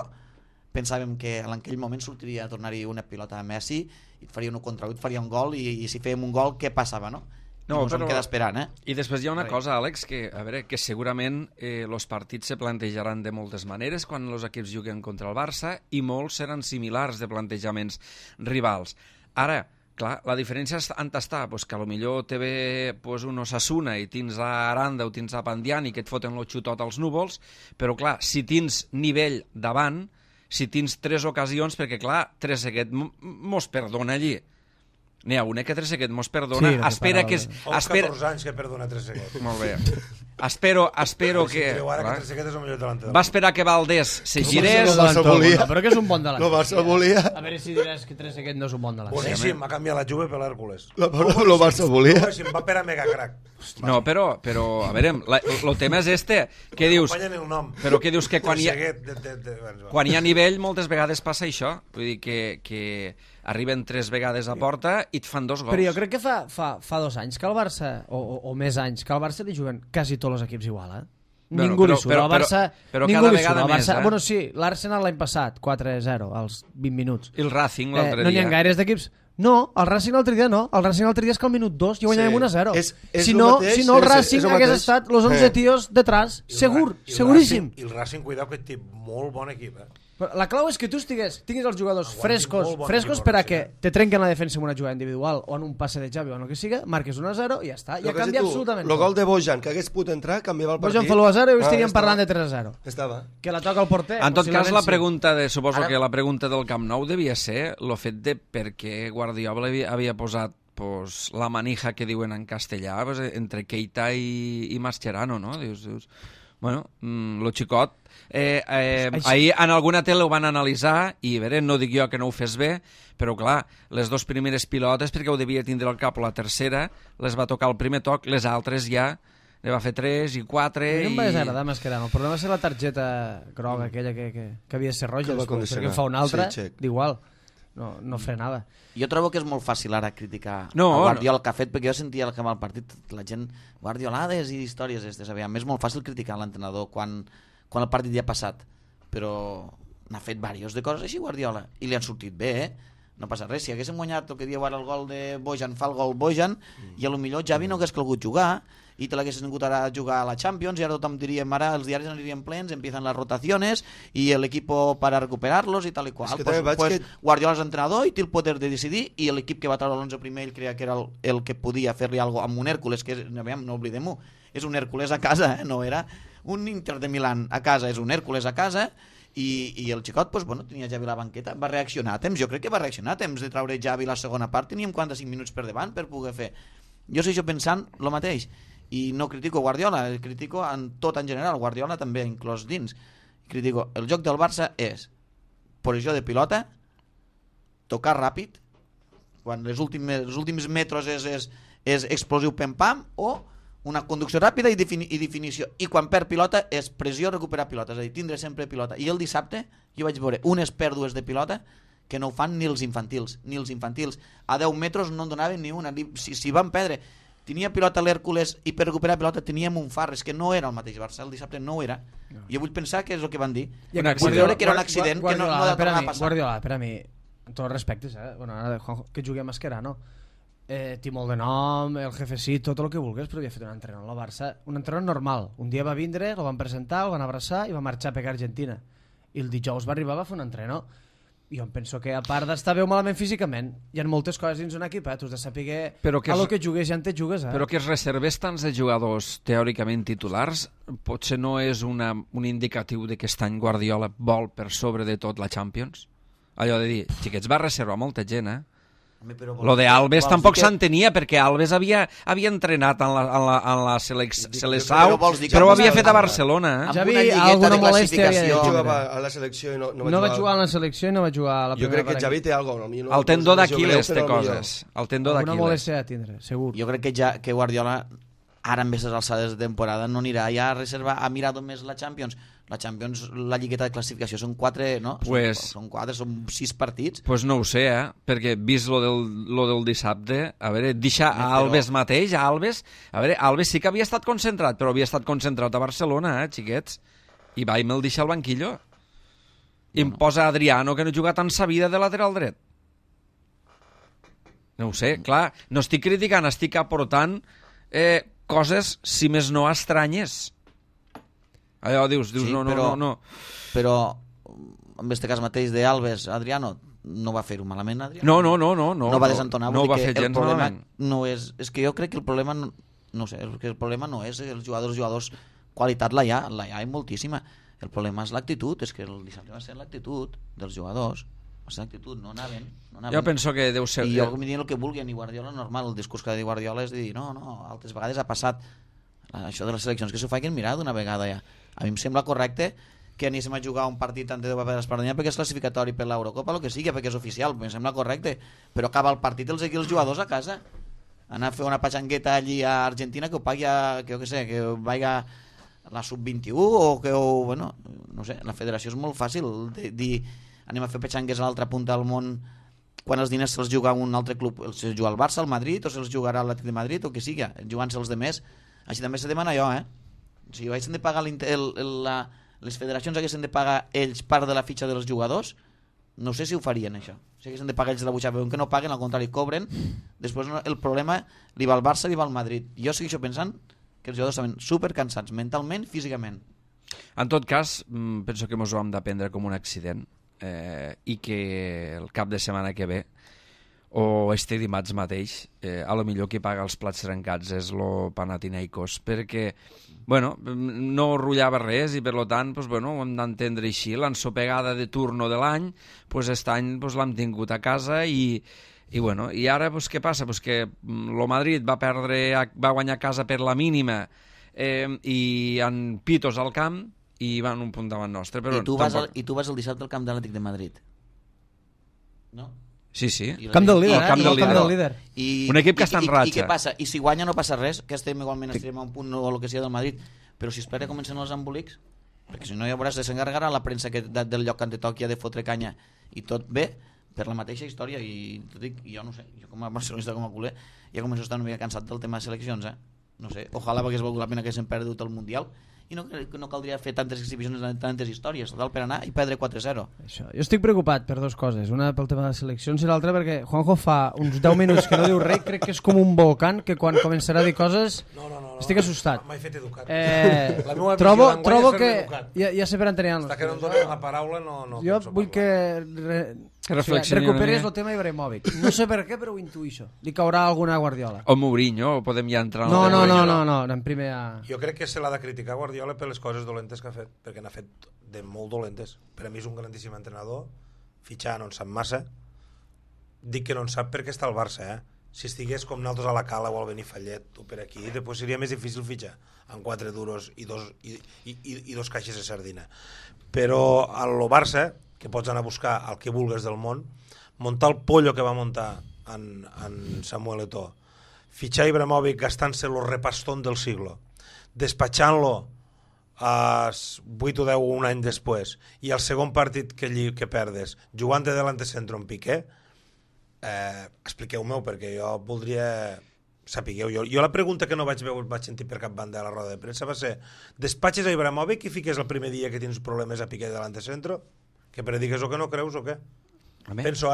pensàvem que en aquell moment sortiria a tornar-hi una pilota a Messi i faria un contra 8, faria un gol i si fèiem un gol, què passava, no? No, ens vam quedar esperant, I després hi ha una cosa, Àlex, que, a veure, que segurament els partits se plantejaran de moltes maneres quan els equips juguen contra el Barça i molts seran similars de plantejaments rivals. Ara, clar, la diferència on està? Pues que potser te ve un Osasuna i tens a Aranda o tens a Pandiani que et foten el xutot als núvols, però clar, si tens nivell davant, si tens 3 ocasions, perquè clar, Trezeguet mos perdona allí. N'hi ha una que Trezeguet mos perdona, espera que... Fa 14 anys que perdona Trezeguet. Molt bé. Espero que... Va esperar que Valdés se girés... Però que és un bon delanter. El Barça volia... A veure si diràs que Trezeguet no és un bon delanter. Boníssim, ha canviat la Juve per l'Hèrcules. El Barça volia... Va per a megacrac. No, però, a veure, el tema és que dius... Però que dius que quan hi ha nivell moltes vegades passa això. Vull dir que arriben 3 vegades a porta i et fan 2 gols. Però jo crec que fa 2 anys que el Barça, o més anys, que al Barça li juguen quasi tots els equips igual, Ningú li surt. Però cada vegada més, Bueno, sí, l'Arsenal l'any passat, 4-0, als 20 minuts. I el Racing l'altre dia. No n'hi ha gaires d'equips. No, el Racing l'altre dia no. El Racing l'altre dia és que al minut 2 ja guanyàvem 1-0. Si no, el Racing hagués estat los 11 tios detrás, seguríssim. I el Racing, cuidao, que té molt bon equip, La clau és que tu tinguis els jugadors frescos per a que te trenquen la defensa en una jugada individual o en un passe de Xavi o en el que siga, marques 1-0 i ja està, ja canvia absolutament tot. El gol de Bojan, que hagués pogut entrar, canviava el partit. Bojan fa l'1-0 i estaríem parlant de 3-0. Estava. Que la toca el porter. En tot cas, suposo que la pregunta del Camp Nou devia ser el fet de per què Guardiola havia posat la manija que diuen en castellà entre Keita i Mascherano, no? Dius, bueno, lo xicot ahir en alguna tele ho van analitzar i no dic jo que no ho fes bé, però clar, les 2 primeres pilotes perquè ho devia tindre al cap, la tercera les va tocar el primer toc, les altres ja ne va fer 3 i 4 a mi no em va desagradar Mascherano. El problema és la targeta groga aquella que havia de ser roja després, perquè fa una altra d'igual, no frenava. Jo trobo que és molt fàcil ara criticar a Guardiola que ha fet, perquè jo sentia que amb el partit la gent guardiolades i històries és molt fàcil criticar l'entrenador quan el partit ja ha passat, però n'ha fet diversos de coses així Guardiola i li han sortit bé, no passa res. Si haguéssim guanyat el que dieu ara el gol de Bojan, fa el gol Bojan, i a lo millor Xavi no hagués calgut jugar i te l'haguessin vingut ara a jugar a la Champions i ara tothom diríem, ara els diaris anirien plens, empiezan las rotaciones y el equipo para recuperarlos y tal y cual. Pues Guardiola és entrenador i té el poder de decidir i l'equip que va treure l'11 primer ell creia que era el que podia fer-li alguna cosa amb un Hèrcules, que no oblidem-ho, és un Hèrcules a casa, no era un Inter de Milán a casa, és un Hèrcules a casa. I el xicot, tenia Xavi a la banqueta, va reaccionar a temps, jo crec que va reaccionar a temps de treure Xavi la segona part, teníem 45 minuts per davant per poder fer. Jo segueixo pensant el mateix, i no critico Guardiola, critico en tot en general, Guardiola també inclòs dins. Critico, el joc del Barça és posició de pilota, tocar ràpid, quan els últims metres és explosiu pam-pam, o una conducció ràpida i definició, i quan perd pilota és pressió, recuperar pilota, és a dir, tindre sempre pilota. I el dissabte jo vaig veure unes pèrdues de pilota que no ho fan ni els infantils, a 10 metres no en donaven ni una, si van perdre, tenia pilota l'Hèrcules i per recuperar pilota teníem un Farres, que no era el mateix Barça, el dissabte no ho era. Jo vull pensar que és el que van dir, vull veure que era un accident que no ha de tornar a passar. Guardiola, per a mi, amb tots els respectes, que jugui a Mascherano, té molt de nom, el jefecito, tot el que vulguis, però havia fet un entrenador al Barça, un entrenador normal. Un dia va vindre, el van presentar, el van abraçar i va marxar a pegar a Argentina. I el dijous va arribar, va fer un entrenador. I jo em penso que, a part d'estar bé o malament físicament, hi ha moltes coses dins un equip, tu has de saber a lo que jugues ja en te jugues. Però que es reserves tants de jugadors teòricament titulars potser no és un indicatiu de que aquest any Guardiola vol per sobre de tot la Champions? Allò de dir, xiquets, va reservar molta gent, Lo de Alves tampoc s'entenia, perquè Alves havia entrenat en la Seleção, però ho havia fet a Barcelona. Javi, alguna molèstia jugava a la selecció i no va jugar a la selecció i no va jugar a la primera. Jo crec que Javi té alguna cosa. El tendó d'Aquiles té coses. El tendó d'Aquiles. Alguna molèstia a tindre, segur. Jo crec que Guardiola ara en aquestes alçades de temporada no anirà ja a reservar, ha mirat més la Champions. La Champions, la lligueta de classificació són 4, no? Són 6 partits. Pues no ho sé, perquè vist lo del dissabte, a veure, deixa a Alves mateix, a veure, Alves sí que havia estat concentrat, però havia estat concentrat a Barcelona, xiquets, i va i me'l deixa al banquillo. I em posa Adriano, que no juga tant sa vida de lateral dret. No ho sé, clar, no estic criticant, estic aportant coses, si més no, estranyes. Allò dius sí, no. Però en aquest cas mateix d'Alves, Adriano no va fer-ho malament, Adriano. No va desentonar, no va fer gens malament. No és que jo crec que el problema no sé, el problema no és els jugadors, qualitat la hi ha moltíssima. El problema és l'actitud, és que el dissabte va ser l'actitud dels jugadors. Va ser l'actitud, no anaven. Jo penso que deu ser... I jo em diuen el que vulguin, i Guardiola normal, el discurs que ha de dir Guardiola és de dir, no, altres vegades ha passat això de les seleccions, que s'ho facin mirar d'una vegada ja. A mi em sembla correcte que anéssim a jugar un partit antes de l'Espanya perquè és classificatori per l'Eurocopa, el que sigui, perquè és oficial, em sembla correcte, però acaba el partit els jugadors a casa, anar a fer una patxangueta allí a Argentina que ho pagui que vagi a la sub-21 o que bueno, no sé, la federació és molt fàcil dir anem a fer patxangues a l'altra punta del món quan els diners se'ls juga a un altre club, se'ls juga al Barça, al Madrid, o se'ls jugarà al Atlètic de Madrid, o que sigui, jugant-se'ls de més. Així també se demana jo, si haguessin de pagar les federacions haguessin de pagar ells part de la fitxa dels jugadors, no sé si ho farien això. Si haguessin de pagar ells de la butxaca, veuen que no paguen, al contrari, cobren, després el problema li va al Barça, li va al Madrid. Jo segueixo pensant que els jugadors estaven supercansats mentalment, físicament. En tot cas, penso que ens ho hem d'aprendre com un accident i que el cap de setmana que ve o este dimarts mateix a lo millor qui paga els plats trencats és lo Panathinaikos, perquè bueno, no rotllava res i per tant ho hem d'entendre així. L'ensopegada de turno de l'any aquest any l'hem tingut a casa i ara què passa? Que el Madrid va guanyar a casa per la mínima i en pitos al camp i van un punt davant nostre. Però I tu vas el dissabte al camp de l'Atlètic de Madrid, no? Sí. Camp del líder. Un equip que està en ratxa. I què passa? I si guanya no passa res, que igualment estarem a un punt o el que sigui del Madrid, però si espera comencen els embolics, perquè si no ja veuràs, s'encarregarà la premsa del lloc que te toqui de fotre canya i tot bé, per la mateixa història, i jo no sé, jo com a barcelonista, com a culer, ja començo a estar una mica cansat del tema de seleccions, no sé, ojalà hagués valgut la pena que s'hem perdut el Mundial, i no caldria fer tantes exhibicions, tantes històries, total per anar i perdre 4-0. Això. Jo estic preocupat per dues coses, una pel tema de seleccions i l'altra perquè Juanjo fa uns 10 minuts que no diu res, crec que és com un volcán que quan començarà a dir coses estic assustat. M'he fet educat. Trobo que ja sé per entenir. Està que no em donen la paraula, no jo vull que recuperis el tema Ibrahimovic. No sé per què, però ho intuïxo. Li caurà alguna a Guardiola. O Mourinho, o podem ja entrar... No, en primer... Jo crec que se l'ha de criticar Guardiola per les coses dolentes que ha fet, perquè n'ha fet de molt dolentes. Per a mi és un grandíssim entrenador, fitxar no en sap massa. Dic que no en sap perquè està al Barça, Si estigués com nosaltres a la Cala o al Benifallet o per aquí, després seria més difícil fitxar amb 4 duros i dos caixes de sardina. Però a lo Barça, que pots anar a buscar el que vulgues del món, muntar el pollo que va muntar en Samuel Eto'o, fitxar Ibrahimovic gastant-se el repastón del siglo, despatxant-lo a 8 o 10 un any després, i el segon partit que perdes, jugant de delante centro en Piqué, expliqueu-m'ho perquè jo voldria sapigueu. Jo la pregunta que no vaig sentir per cap banda a la roda de premsa va ser: despatxes a Ibrahimovic i fiques el primer dia que tens problemes a Piqué delante centro? Que predigues o que no creus o què? Penso,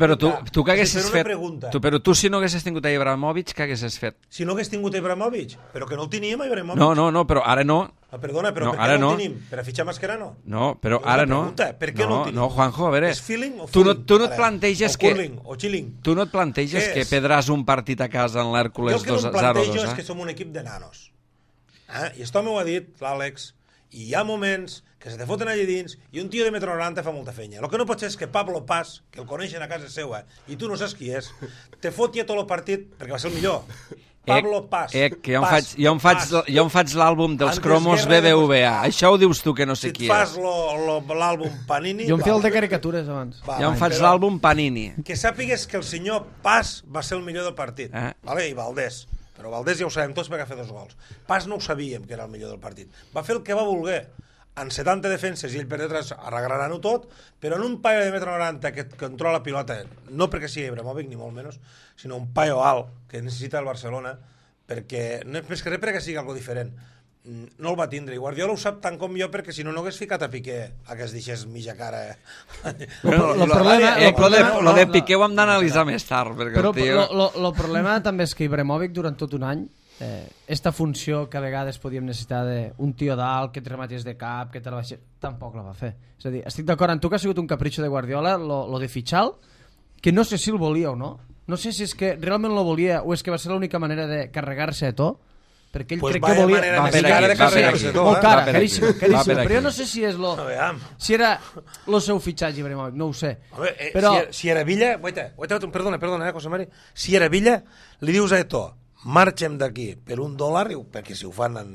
però tu què haguessis fet? Però tu si no haguessis tingut a Ibrahimovic, què haguessis fet? Si no hagués tingut a Ibrahimovic? Però que no el teníem a Ibrahimovic. No, però ara no. Perdona, però per què no el tenim? Per a fitxar Mascherano? No, però ara no. Per què no el tenim? No, Juanjo, a veure... És feeling o tu feeling? Tu no et planteges que... O curling, o chilling. Tu no et planteges que perdràs un partit a casa en l'Hèrcules 2-0-2, Jo el que no em plantejo és que som un equip de nanos. I això m'ho ha dit l'Àlex, i hi ha moments que se te foten allà dins i un tio de metro 90 fa molta fenya. El que no pot ser és que Pablo Paz, que el coneixen a casa seva i tu no saps qui és, te foti a tot el partit perquè va ser el millor. Pablo Paz. Que jo em faig l'àlbum dels cromos BBVA. Això ho dius tu que no sé qui és. Si et fas l'àlbum Panini... Jo em feia el de caricatures abans. Jo em faig l'àlbum Panini. Que sàpigues que el senyor Paz va ser el millor del partit. I Valdés. Però Valdés ja ho sabem tots perquè va fer 2 gols. Paz no ho sabíem que era el millor del partit. Va fer el que va voler. En 70 defenses i ell per detrás arreglaran-ho tot, però en un paio de metro 90 que controla la pilota, no perquè sigui Ibrahimovic ni molt menys, sinó un paio alt que necessita el Barcelona, perquè no és més que res perquè sigui algo diferent. No el va tindre, i Guardiola ho sap tant com jo, perquè si no hagués ficat a Piqué a que es deixés mitja cara. Lo de Piqué ho hem d'analitzar més tard, perquè el tio... El problema també és que Ibrahimovic durant tot un any esta funció que a vegades podíem necessitar d'un tio d'alt que te rematés de cap, que te la baixés, tampoc la va fer. És a dir, estic d'acord amb tu que ha sigut un capritxo de Guardiola lo de fitxar, que no sé si el volia o no. No sé si és que realment lo volia o és que va ser l'única manera de carregar-se a tot, perquè ell crec que volia... Molt cara, caríssim. Però jo no sé si és si era el seu fitxatge, Ibrahimovic, no ho sé. Si era Villa... Perdona, José Mari. Si era Villa, li dius a Eto'o: marxem d'aquí per $1, perquè si ho fan en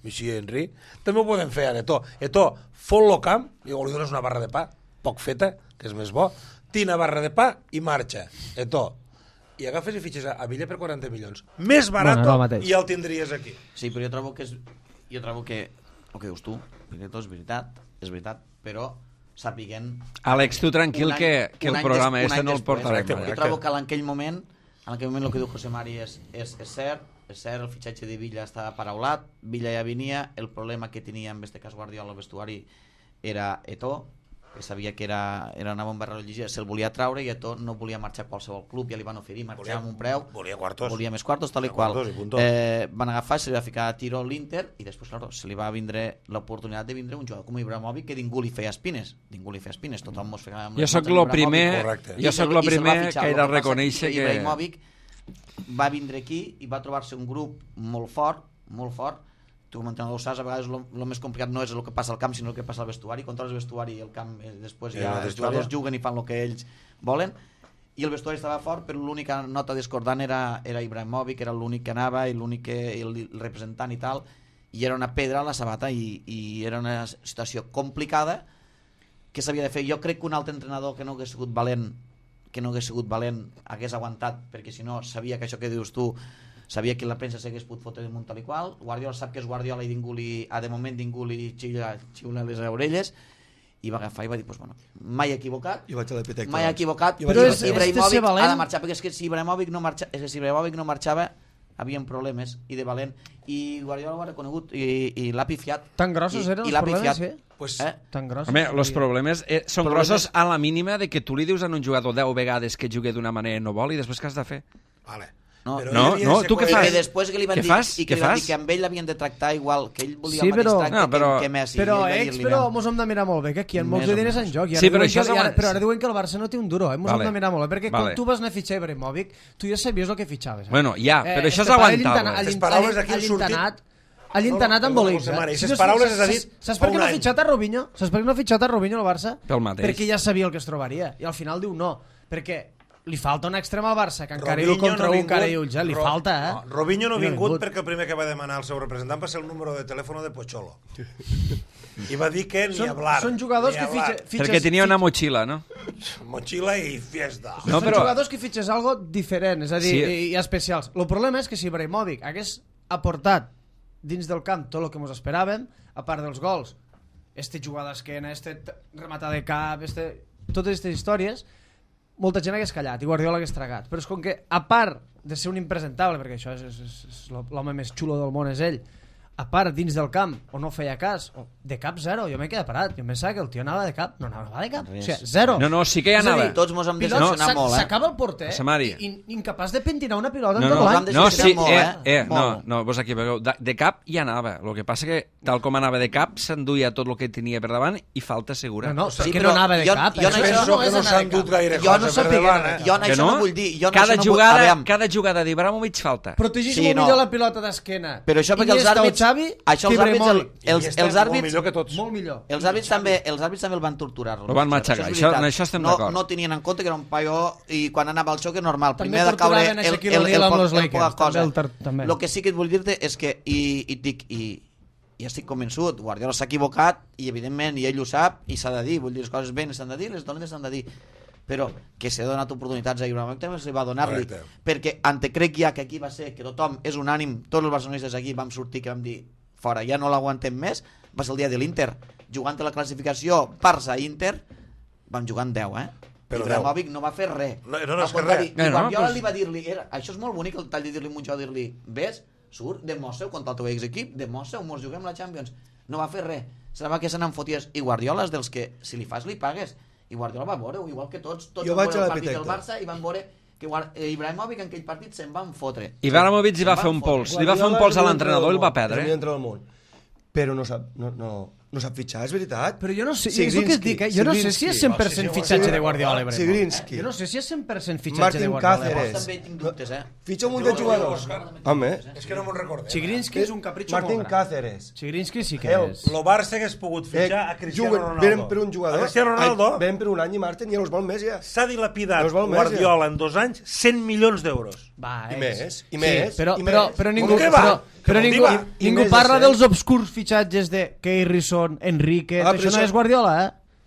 Monsieur Henry, també ho podem fer a Eto'o, fot-lo camp, li dones una barra de pa, poc feta, que és més bo, tina barra de pa i marxa, Eto'o. I agafes i fitxes a Villa per 40 milions. Més barat i ja el tindries aquí. Sí, però jo trobo que el que dius tu, és veritat, però sapiguem... Àlex, tu tranquil que el programa no el portarem. Jo trobo que en aquell moment el que diu José Mari és cert, el fitxatge de Villa estava paraulat, Villa ja venia, el problema que tenia en aquest cas Guardiola al vestuari era Eto'o, que sabia que era una bomba religiosa, se'l volia traure i Eto'o no volia marxar a qualsevol club, ja li van oferir marxar amb un preu, volia més quartos, tal i qual. Van agafar, se li va ficar a tiro l'Inter i després, claro, se li va vindre l'oportunitat de vindre un jugador com Ibrahimovic que ningú li feia espines, tothom mos feia... Jo sóc el primer que he de reconèixer que... Ibrahimovic va vindre aquí i va trobar-se un grup molt fort, tu com a entrenador ho saps, a vegades el més complicat no és el que passa al camp sinó el que passa al vestuari, controles el vestuari i el camp després ja els jugadors juguen i fan el que ells volen, i el vestuari estava fort però l'única nota discordant era Ibrahimovic, era l'únic que anava i l'únic el representant i tal, i era una pedra a la sabata i era una situació complicada que s'havia de fer. Jo crec que un altre entrenador que no hagués sigut valent que no hagués sigut valent, hagués aguantat, perquè si no sabia que això que dius tu, sabia que la premsa s'hagués pogut fotre d'un tal i qual. Guardiola sap que és Guardiola i de moment ningú li xiula les orelles, i va agafar i va dir, pues, bueno, mai equivocat, però Ibrahimovic ha de marxar, perquè és que si Ibrahimovic no marxava havien problemes, i de valent, i Guardiola ho ha reconegut i l'ha pifiat. Tan grossos eren els problemes, Pues, tan grossos. Home, els problemes són grossos a la mínima de que tu li dius a un jugador 10 vegades que jugui d'una manera i no vol, i després què has de fer? Vale. No, tu què fas? I després que li van dir que amb ell l'havien de tractar igual, que ell volia el mateix tracte que Messi. Però mos hem de mirar molt bé, que aquí hi ha molts diners en joc. Sí, però ara diuen que el Barça no té un duro, mos hem de mirar molt bé, perquè quan tu vas anar a fitxar Ibrahimovic, tu ja sabies el que fitxaves. Bueno, ja, però això és aguantable. Les paraules d'aquí han sortit... A l'intenat amb Bolívar. Les paraules les ha dit saps per què no ha fitxat a Robinho? Saps per què no ha fitxat a Robinho al Barça? Pel mateix. Perquè ja sabia el que es trobaria. I al final diu no. Perquè li falta un extrem al Barça, que encara diu contra un cara i ulls. Li falta, Robinho no ha vingut perquè el primer que va demanar el seu representant va ser el número de telèfon de Pocholo. I va dir que ni hablar. Són jugadors que fitxes... Perquè tenia una motxilla, no? Motxilla i fiesta. Són jugadors que fitxes algo diferent, és a dir, i especials. El problema és que si Ibrahimovic hagués aportat dins del camp tot el que ens esperàvem, a part dels gols, jugada d'esquena, rematar de cap, totes aquestes històries, molta gent hagués callat i Guardiola hagués tragat. Però és com que, a part de ser un impresentable, perquè això és l'home més xulo del món és ell, a part dins del camp, o no feia cas, o de cap zero, jo m'he quedat parat, jo pensava que el tio anava de cap, no anava de cap, o sigui, zero. No, sí que hi anava. Tots mos hem decepcionat molt, s'acaba el porter, incapaç de pentinar una pilota en tot l'any. No, sí, no, vos aquí veieu, de cap hi anava, el que passa que tal com anava de cap, s'enduia tot el que tenia per davant i falta segura. No, que no anava de cap. Jo penso que no s'ha endut gaire cosa per davant. Jo això no vull dir. Cada jugada d'Ibrahimovic falta. Protegeix molt millor la pilota d'esquena. Però això perquè els àrbits... Això els àrbits... Molt millor. Els àrbits també el van torturar. El van matxacar, això estem d'acord. No tenien en compte que era un paio i quan anava al xoc és normal. També torturaven a Shaquille O'Neal amb els Lakers. El que sí que et vull dir-te és que, i estic convençut, Guardiola s'ha equivocat i evidentment, i ell ho sap, i s'ha de dir, vull dir, les coses ben s'han de dir, les dolentes s'han de dir, però que s'ha donat oportunitats a Ibrahimovic també se va donar-li, perquè crec ja que aquí va ser que tothom és unànim, tots els barcelonistes aquí vam sortir que vam dir fora, ja no l'aguantem més, va ser el dia de l'Inter, jugant a la classificació Barça-Inter, vam jugar en 10, però Ibrahimovic no va fer res. No és que res. I Guardiola li va dir-li, això és molt bonic el tall de dir-li un jugador, dir-li, ves, surt, demostra-ho contra el teu equip, demostra-ho, mos juguem la Champions. No va fer res, semblava que se n'enfoties. I Guardiola és dels que, si li fas, li pagues. I Guardiola va veure-ho, igual que tots van veure el partit del Barça i van veure que Ibrahimovic en aquell partit se'n van fotre. Ibrahimovic li va fer un pols. Li va fer un pols a l'entrenador i el va perdre. Però no sap fitxar, és veritat. Però jo no sé, és el que et dic, jo no sé si és 100% fitxatge de Guardiola. Sigrinski. Jo no sé si és 100% fitxatge de Guardiola. Martín Cáceres. També tinc dubtes, Fitxa un munt de jugadors. Home. És que no me'n recordem. Sigrinski és un capritxo molt gran. Martín Cáceres. Sigrinski sí que és. El Barça hagués pogut fitxar a Cristiano Ronaldo. Venen per un jugador. Cristiano Ronaldo. Venen per un any i Martín ja els vol més ja. S'ha dilapidat Guardiola en 2 anys 100 milions d'euros. I més. Però ningú parla dels obscurs fitxatges de Keirson, Enrique, això no és Guardiola,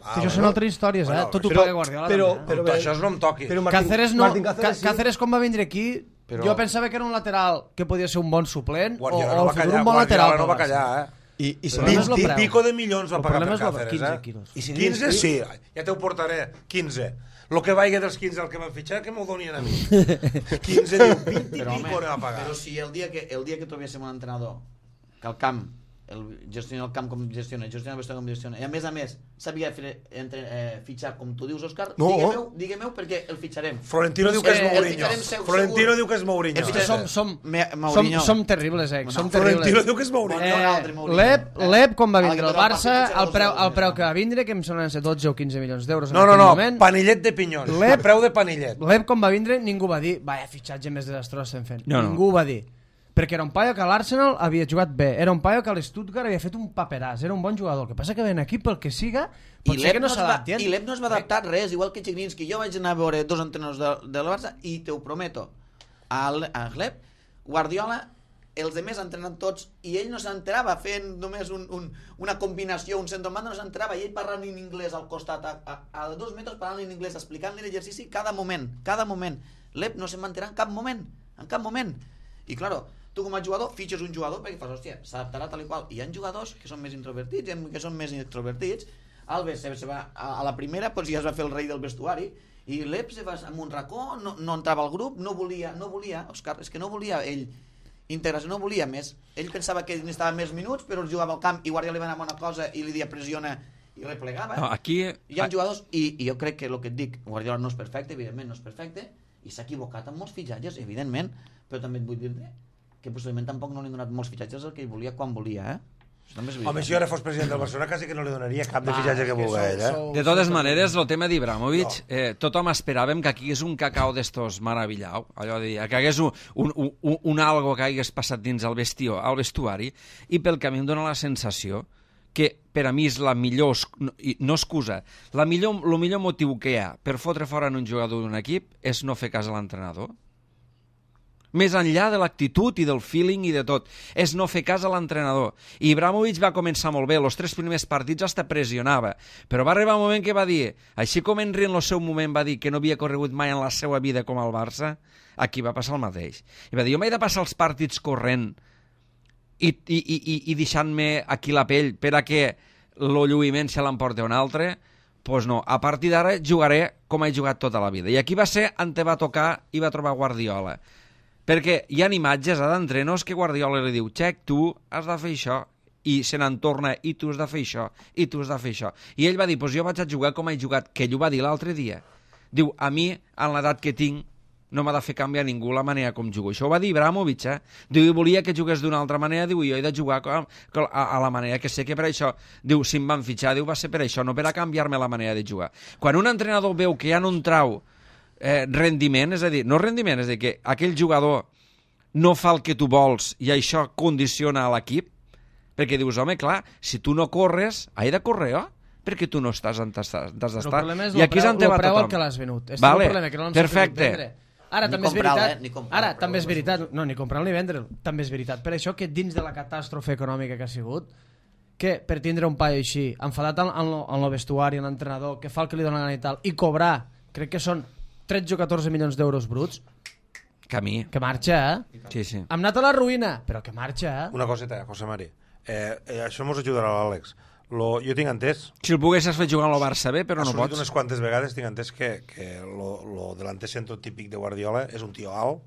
que això són altres històries, tot ho paga Guardiola. Però això no em toqui. Cáceres quan va vindre aquí, jo pensava que era un lateral que podia ser un bon suplent o al futur un bon lateral. Guardiola no va callar, I 20 i pico de milions va pagar per Cáceres, 15 quilos. 15, sí, ja te ho portaré, 15. El que vaiga dels 15 al que van fitxar, que m'ho donien a mi. 15 diu, 20 i pico va pagar. Però si el dia que trobéssim un entrenador que al camp gestiona el camp com gestiona el vestuari com gestiona, i a més sabia fitxar com tu dius, Òscar, digue-meu perquè el fitxarem. Florentino diu que és Mourinho. Florentino diu que és Mourinho. Som terribles, Florentino diu que és Mourinho. L'Ep quan va vindre al Barça, el preu que va vindre, que em sonen 12 o 15 milions d'euros en aquell moment. No, panillet de pinyons, el preu de panillet. L'Ep quan va vindre ningú va dir vaya fitxatge més desastrós estem fent. Ningú va dir. Perquè era un paio que a l'Arsenal havia jugat bé, era un paio que a l'Stuttgart havia fet un paperàs, era un bon jugador. El que passa que ven aquí pel que siga, potser que no s'adapti. I l'Ep no es va adaptar res, igual que Chigrinski. Jo vaig anar a veure 2 entrenadors del Barça i te ho prometo, a l'Ep, Guardiola els demés entrenant tots i ell no s'enterava fent només una combinació, un centromanda, no s'enterava, i ell parlant en anglès al costat a 2 metres, parlant en anglès, explicant-li l'exercici cada moment. L'Ep no se'n va enterar en cap moment. I claro, tu com a jugador fitxes un jugador perquè fas, hòstia, s'adaptarà tal i qual, i hi ha jugadors que són més introvertits, que són més extrovertits. Alves se va a la primera, doncs ja es va fer el rei del vestuari, i l'Ep se va amb un racó, no entrava al grup, no volia, Òscar, és que no volia ell integració, no volia més. Ell pensava que necessitava més minuts, però jugava al camp i Guardiola li va anar una cosa i li dia pressiona i replegava. No, aquí... Hi ha jugadors, i jo crec que el que et dic, Guardiola no és perfecte, evidentment no és perfecte, i s'ha equivocat amb molts fitxatges, evidentment, però també et vull dir-te que possiblement tampoc no li han donat molts fitxatges el que ell volia quan volia, Home, si jo ara fos president del Barcelona quasi que no li donaria cap de fitxatge que volgués, De totes maneres, el tema d'Ibrahimovic, tothom esperàvem que aquí hagués un cacau d'estos maravillau, allò de dir, que hagués un algo que hagués passat dins el vestuari, i pel camí em dóna la sensació que per a mi és la millor, no excusa, el millor motiu que hi ha per fotre fora un jugador d'un equip és no fer cas a l'entrenador. Més enllà de l'actitud i del feeling i de tot, és no fer cas a l'entrenador. I Ibrahimovic va començar molt bé, els 3 primers partits hasta pressionava, però va arribar un moment que va dir, així com Henry en el seu moment va dir que no havia corregut mai en la seva vida com al Barça, aquí va passar el mateix. I va dir, jo m'he de passar els partits corrent i deixant-me aquí la pell per a que el lluïment se l'emporti un altre, doncs no, a partir d'ara jugaré com he jugat tota la vida. I aquí va ser on te va tocar i va trobar Guardiola. Perquè hi ha imatges d'entrenors que Guardiola li diu, Xec, tu has de fer això, i se n'en torna, i tu has de fer això, i tu has de fer això. I ell va dir, doncs jo vaig a jugar com he jugat, que ell ho va dir l'altre dia. Diu, a mi, en l'edat que tinc, no m'ha de fer canviar ningú la manera com jugo. Això ho va dir Ibrahimovic, Diu, volia que jugués d'una altra manera, diu, jo he de jugar a la manera que sé que per això, diu, si em van fitxar, diu, va ser per això, no per a canviar-me la manera de jugar. Quan un entrenador veu que ja no en trau rendiment, és a dir, no rendiment, és a dir, que aquell jugador no fa el que tu vols i això condiciona a l'equip, perquè dius, home, clar, si tu no corres, he de córrer, perquè tu no estàs on has d'estar. I aquí és on te va tothom. El preu al que l'has venut. Vale, perfecte. Ara també és veritat, també és veritat, no, ni comprar ni vendre'l, també és veritat. Per això que dins de la catàstrofe econòmica que ha sigut, que per tindre un paio així, enfadat en el vestuari, en l'entrenador, que fa el que li dona gana i tal, i cobrar, crec que són 13 o 14 milions d'euros bruts, que marxa, Sí, sí. Hem anat a la ruïna, però que marxa, Una coseta, José Mari. Això mos ajudarà l'Àlex. Jo tinc entès... Si el poguessis fer jugar al Barça bé, però no pots. Unes quantes vegades tinc entès que lo delanter centro típic de Guardiola és un tio alt,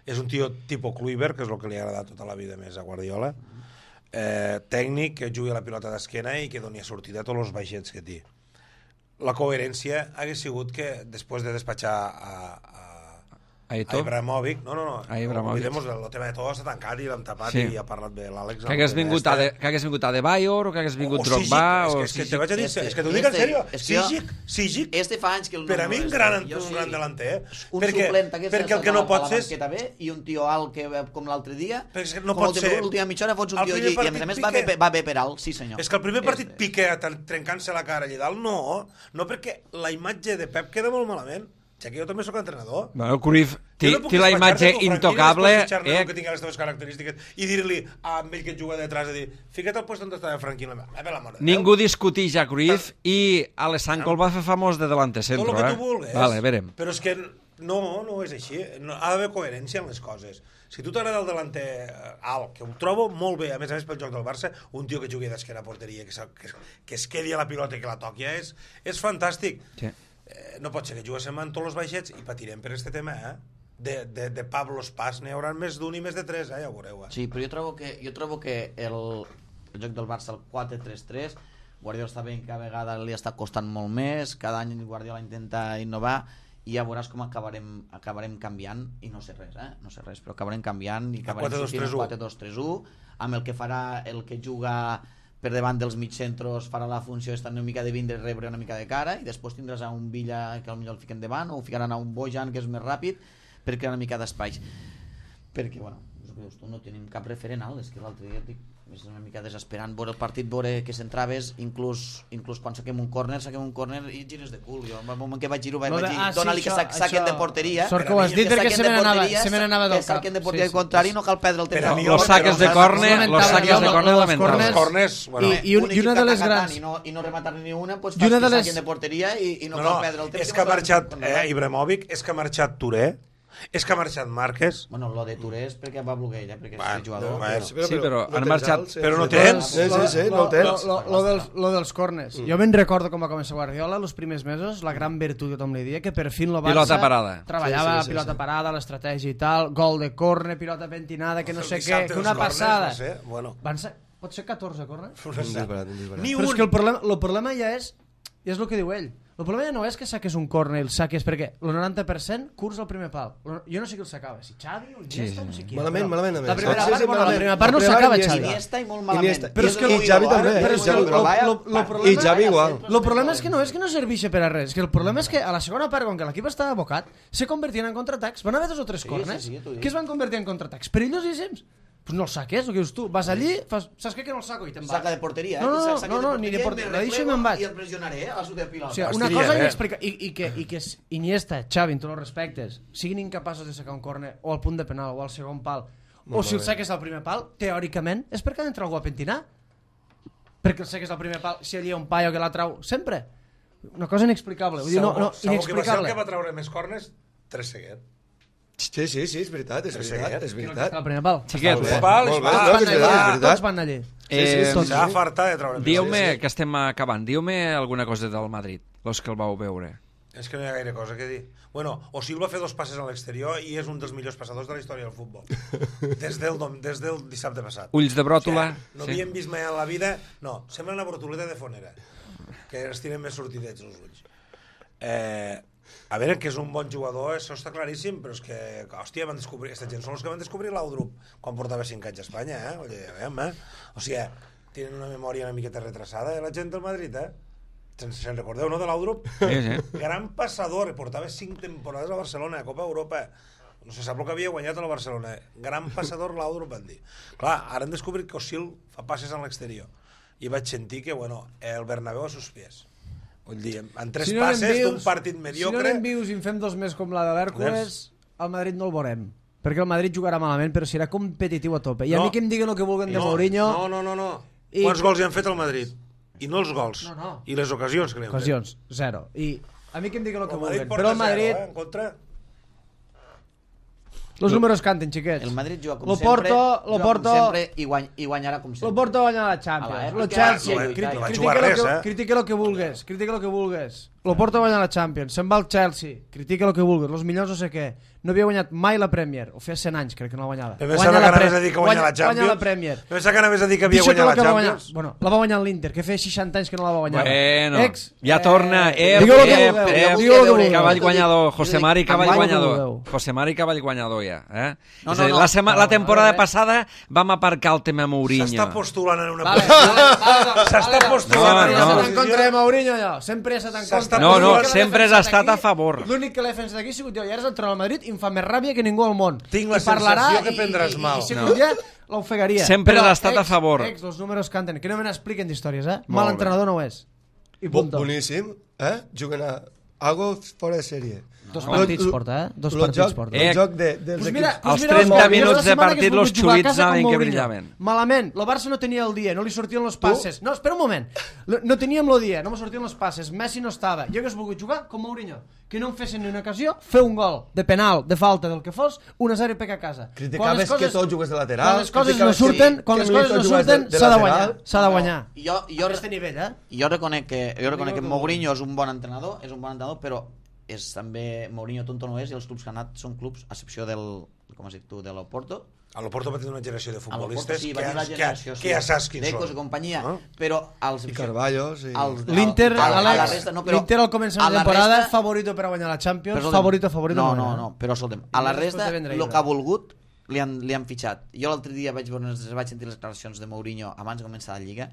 és un tio tipus Kluivert, que és el que li ha agradat tota la vida més a Guardiola, tècnic, que jugui a la pilota d'esquena i que doni sortida a tots els baixets que té. La coherència hagués sigut que després de despatxar a Ibrahimovic, no, oblidemos el tema de todo està tancat i l'hem tapat i ha parlat bé l'Àlex. Que hagués vingut a De Bayor o que hagués vingut Drogba és que te vaig a dir, és que t'ho dic en sèrio, Sigic fa anys que per a mi un gran delanter, un suplent perquè el que no pot ser i un tio alt com l'altre dia, no pot ser l'última mitja hora fots un tio i a més va bé per alt, sí senyor. És que el primer partit Piqué trencant-se la cara allà dalt, no, perquè la imatge de Pep queda molt malament. Ja que jo també soc entrenador. Bueno, Cruyff té la imatge intocable. Que tingui les teves característiques i dir-li a ell que juga detrás de dir, fica't al lloc on estava Franquín. Ningú discuteix a Cruyff i Alessandro el va fer famós de delante centro. Tot el que tu vulguis. Vale, verem. Però és que no és així. Ha d'haver coherència en les coses. Si tu t'agrada el delanter alt, que ho trobo molt bé, a més pel joc del Barça, un tio que jugui d'esquena a porteria, que es quedi a la pilota i que la toqui, és fantàstic. Sí. No pot ser que juguéssim amb tots els baixets i patirem per aquest tema, de Pablo Spaz n'hi haurà més d'un i més de 3, ja ho veureu. Sí, però jo trobo que el joc del Barça, el 4-3-3, Guardiola està veient que cada vegada li està costant molt més, cada any Guardiola intenta innovar i ja veuràs com acabarem canviant, i no sé res, però acabarem canviant i acabarem sortint el 4-2-3-1, amb el que farà el que juga per davant dels mitjcentros, farà la funció estar una mica de vindre, rebre una mica de cara, i després tindràs a un Villa que potser el fiquen davant, o ficaran a un Bojan que és més ràpid per crear una mica d'espai, perquè bueno, us no tenim cap referent alt, és que l'altre dia és una mica desesperant veure el partit, veure que centraves, inclús quan saquem un córner i gires de cul. Jo, al moment que vaig giro, vaig dir, dona-li que saquen de porteria. Sort que ho has dit perquè se me n'anava del cap. Que saquen de porteria contrari, no cal perdre el temps. Los saques de córner lamentables. I una de les grans... I no rematar ni una, doncs fas que saquen de porteria i no cal perdre el temps. És que ha marxat Ibrahimovic, és que ha marxat Touré, és que ha marxat Márquez. Bueno, lo de Touré és perquè va voler ella, perquè és jugador. Sí, però han marxat... Però no tens. Sí, no tens. Lo dels corners. Jo me'n recordo com va començar Guardiola els primers mesos, la gran virtut que tothom li dia, que per fin lo Barça pilota parada. Treballava pilota parada, l'estratègia i tal, gol de córner, pilota pentinada, que no sé què, que una passada. Van ser, pot ser 14 corners? Ni un. Però és que el problema ja és el que diu ell. El problema ja no és que saques un córner i el saques perquè el 90% curs al primer pal. Jo no sé qui el sacava, si Xavi o Iniesta, no sé qui. Malament. La primera part no sacava Xavi. Iniesta i molt malament. I Xavi també. I Xavi igual. El problema és que no serveix per a res. És que el problema és que a la segona part, com que l'equip estava abocat, se convertien en contraatacs. Van haver 2 o 3 corners que es van convertir en contraatacs perillosíssims. Pues no el saques, el que dius tu. Vas allí, saps què que no el saco i te'n vas. Saca de porteria, No, ni de porteria. La deixo i me'n vaig. I el pressionaré a la sud de pilota. O sigui, una cosa inexplicable. I que Iniesta, Xavi, en tots els respectes, siguin incapaços de sacar un córner o al punt de penal o al segon pal, o si el saques al primer pal, teòricament, és perquè ha d'entrar algú a pentinar. Perquè el saques al primer pal, si allà hi ha un paio que la trau, sempre. Una cosa inexplicable. Vull dir, inexplicable. Segur que va ser el que va treure més córners? Trezeguet. Sí, és veritat. El primer pal. Xiquets, tots van allí. S'ha fartat de treure. Dieu-me, que estem acabant, dieu-me alguna cosa del Madrid, los que el vau veure. És que no hi ha gaire cosa que dir. Bueno, Osil va fer 2 passes a l'exterior i és un dels millors passadors de la història del futbol. Des del dissabte passat. Ulls de bròtola. No havíem vist mai en la vida... No, sembla una brotoleta de fonera, que es tiren més sortidets els ulls. A veure, que és un bon jugador, això està claríssim, però és que, hòstia, van descobrir... Aquesta gent són els que van descobrir l'Audrup quan portava 5 anys a Espanya, Oye, o sigui, tenen una memòria una miqueta retrasada, la gent del Madrid, Se'n recordeu, no, de l'Audrup? Sí. Gran passador, portava 5 temporades a Barcelona, a Copa Europa. No se sap el que havia guanyat a la Barcelona. Gran passador l'Audrup, van dir. Clar, ara han descobrit que Osil fa passes en l'exterior. I vaig sentir que, el Bernabéu a sus pies. Vull dir, en 3 passes d'un partit mediocre... Si no anem vius i en fem 2 més com la de l'Hèrcules, al Madrid no el veurem. Perquè el Madrid jugarà malament, però serà competitiu a tope. I a mi que em diguen el que vulguen de Mourinho... No. Quants gols hi han fet al Madrid? I no els gols. I les ocasions que li han fet. Ocasions, 0. I a mi que em diguen el que vulguen. Però el Madrid... En contra... Los números canten, xiquets. El Madrid juga com sempre i guanyarà com sempre. Lo Porto guanyarà la Champions. Lo Chelsea, critica lo que vulgues. Lo Porto guanyar la Champions. Se'n va al Chelsea, critica lo que vulgues. Los millors no sé què. No havia guanyat mai la Premier. Ho feia 100 anys, crec que no la guanyava. Pensava que anaves a dir que guanya la Champions. Guanya la Premier. Pensava que anaves a dir que havia guanyat la Champions. Bueno, la va guanyar l'Inter, que feia 60 anys que no la va guanyar. Bueno, ja torna. Cavall guanyador. José Mari Cavall guanyador. José Mari Cavall guanyador ja. La temporada passada vam aparcar el tema Mourinho. S'està postulant en una... S'està postulant. No, en contra de Mourinho, allò. Sempre ha estat en contra. No, sempre has estat a favor. L'únic que l'he fet d'aquí ha sigut jo. I ara és entrenador al Madrid i em fa més ràbia que ningú al món. Tinc la sensació que prendràs mal. I si un dia l'ofegaria. Sempre has estat a favor. Els números canten. Que no me n'expliquen d'històries, Mal entrenador no ho és. Boníssim, Juguen a algo fora de sèrie. 2 partits porta, 2 partits porta. El joc dels equips. Els 30 minuts de partit los xuits saben que brillaven. Malament, el Barça no tenia el dia, no li sortien los passes. No, espera un moment. No teníem el dia, no me sortien los passes. Messi no estava. Jo hagués volgut jugar com Mourinho. Que no em fessin ni una ocasió, fer un gol de penal, de falta, del que fos, 1-0 i peca a casa. Criticaves que tot jugués de lateral. Quan les coses no surten, s'ha de guanyar. S'ha de guanyar. Jo aquest nivell, Jo reconec que Mourinho és un bon entrenador, però és també Mourinho tonto no és, i els clubs que han anat són clubs, a excepció del, com has dit tu, de l'Oporto. A l'Oporto va tenir una generació de futbolistes que ja saps quins són. I companyia, però els... I Carvalho, sí. L'Inter, al començament de temporada, favorito per a guanyar la Champions, favorito. No, però escolta'm, a la resta, el que ha volgut, li han fitxat. Jo l'altre dia vaig sentir les declaracions de Mourinho abans de començar la Lliga,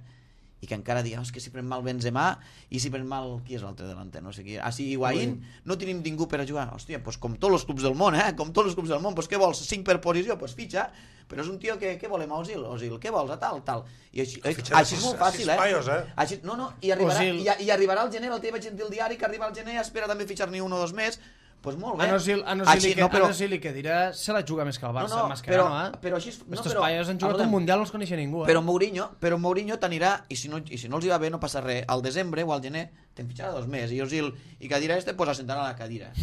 i que encara diu, és que si pren mal Benzema i si pren mal, qui és l'altre delanter, no sé qui, si Higuaín, no tenim ningú per a jugar. Hòstia, doncs com tots els clubs del món, com tots els clubs del món, doncs què vols, 5 per posició, doncs fitxa, però és un tio que què volem a Osil, què vols, a tal, i així és molt fàcil, així, no, i arribarà al gener, el que vaig dir al diari, que arriba al gener, espera també fitxar-ne 1 o 2 més. Pues molt bé. A Nosil que dirà se la juga més que el Barça, però així... Estos paios han jugat un Mundial, no els coneixia ningú. Però Mourinho t'anirà, i si no els hi va bé no passa res, al desembre o al gener te'n fitxarà 2 més, i Osil i Cadira pues assentarà la cadira.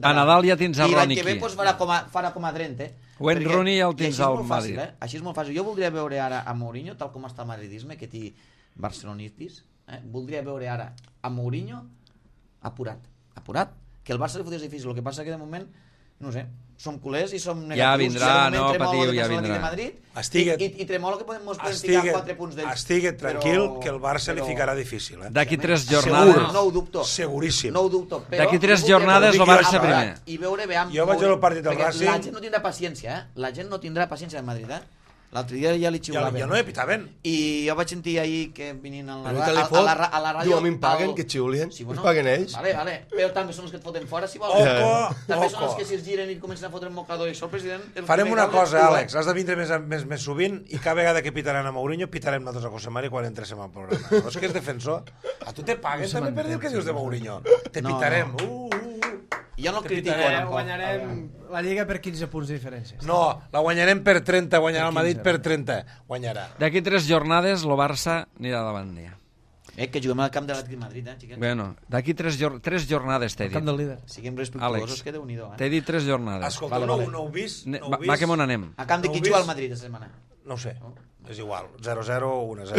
A Nadal ja tens el Roniqui. I l'any que ve farà com a Drent, Wayne Rooney ja el tens al Madrid. Així és molt fàcil. Jo voldria veure ara a Mourinho, tal com està el madridisme, que té barcelonitis, voldria veure ara a Mourinho apurat, que el Barça li fotés difícil, el que passa que de moment, no sé, som culers i som negatius. Ja vindrà, no patiu, ja vindrà. I tremolo que podem ficar 4 punts d'ells. Estiguet tranquil, que el Barça li ficarà difícil. D'aquí 3 jornades... No ho dubto. Seguríssim. No ho dubto. D'aquí 3 jornades el Barça primer. I veure bé... Jo vaig al partit del Racing... La gent no tindrà paciència, La gent no tindrà paciència en Madrid, L'altre dia ja li xiulaven. Ja no pitaven. I jo vaig sentir ahir que venint a la ràdio... Diu, a mi em paguen, que xiulien. Us paguen ells. Vale. Però també són els que et foten fora, si vols. També són els que si es giren i comencen a fotre el mocador i això, el president... Farem una cosa, Àlex. Has de vindre més sovint i cada vegada que pitaran a Mourinho, pitarem nosaltres a José Mari quan entréssim al programa. No és que és defensor. A tu te paguen també per dir el que dius de Mourinho. Te pitarem. Jo no el critico. Guanyarem la Lliga per 15 punts de diferència. No, la guanyarem per 30, guanyarà el Madrid per 30. Guanyarà. D'aquí 3 jornades el Barça anirà davant d'ella. Que juguem al camp de l'Atlètic Madrid, xiquets. Bueno, d'aquí 3 jornades t'he dit. El camp del líder. Siguem respectuosos, que Déu-n'hi-do. T'he dit 3 jornades. Escolta, no ho vist? Va, que m'on anem. A camp de qui juga al Madrid aquesta setmana? No ho sé, és igual. 0-0 o 1-0.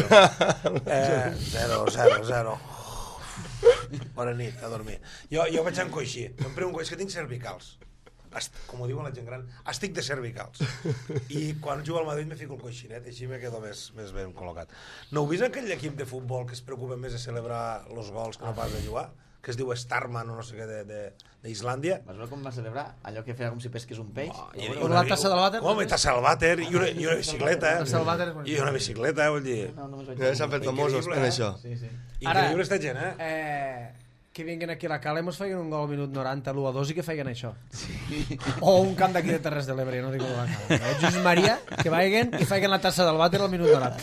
0-0. Bona nit, a dormir. Jo vaig encoixir. Em pregunto, és que tinc cervicals. Com ho diuen la gent gran, estic de cervicals. I quan jugo al Madrid me fico el coixinet, així me quedo més ben col·locat. No heu vist aquell equip de futbol que es preocupa més de celebrar els gols que no pas de jugar? Que es diu Starman o no sé què d'Islàndia. Vas veure com va celebrar? Allò que feia com si pesqués un peix? La tassa del vàter? Com, tassa del vàter i una bicicleta. I una bicicleta, vull dir... S'han fet famosos en això. Increïble esta gent, que vinguin aquí a la Cala i mos feien un gol al minut 90, l'1-2 i que feien això. O un camp d'aquí de Terres de l'Ebre, no dic la Cala. Jesús Maria, que vagin i feien la tassa del vàter al minut 90.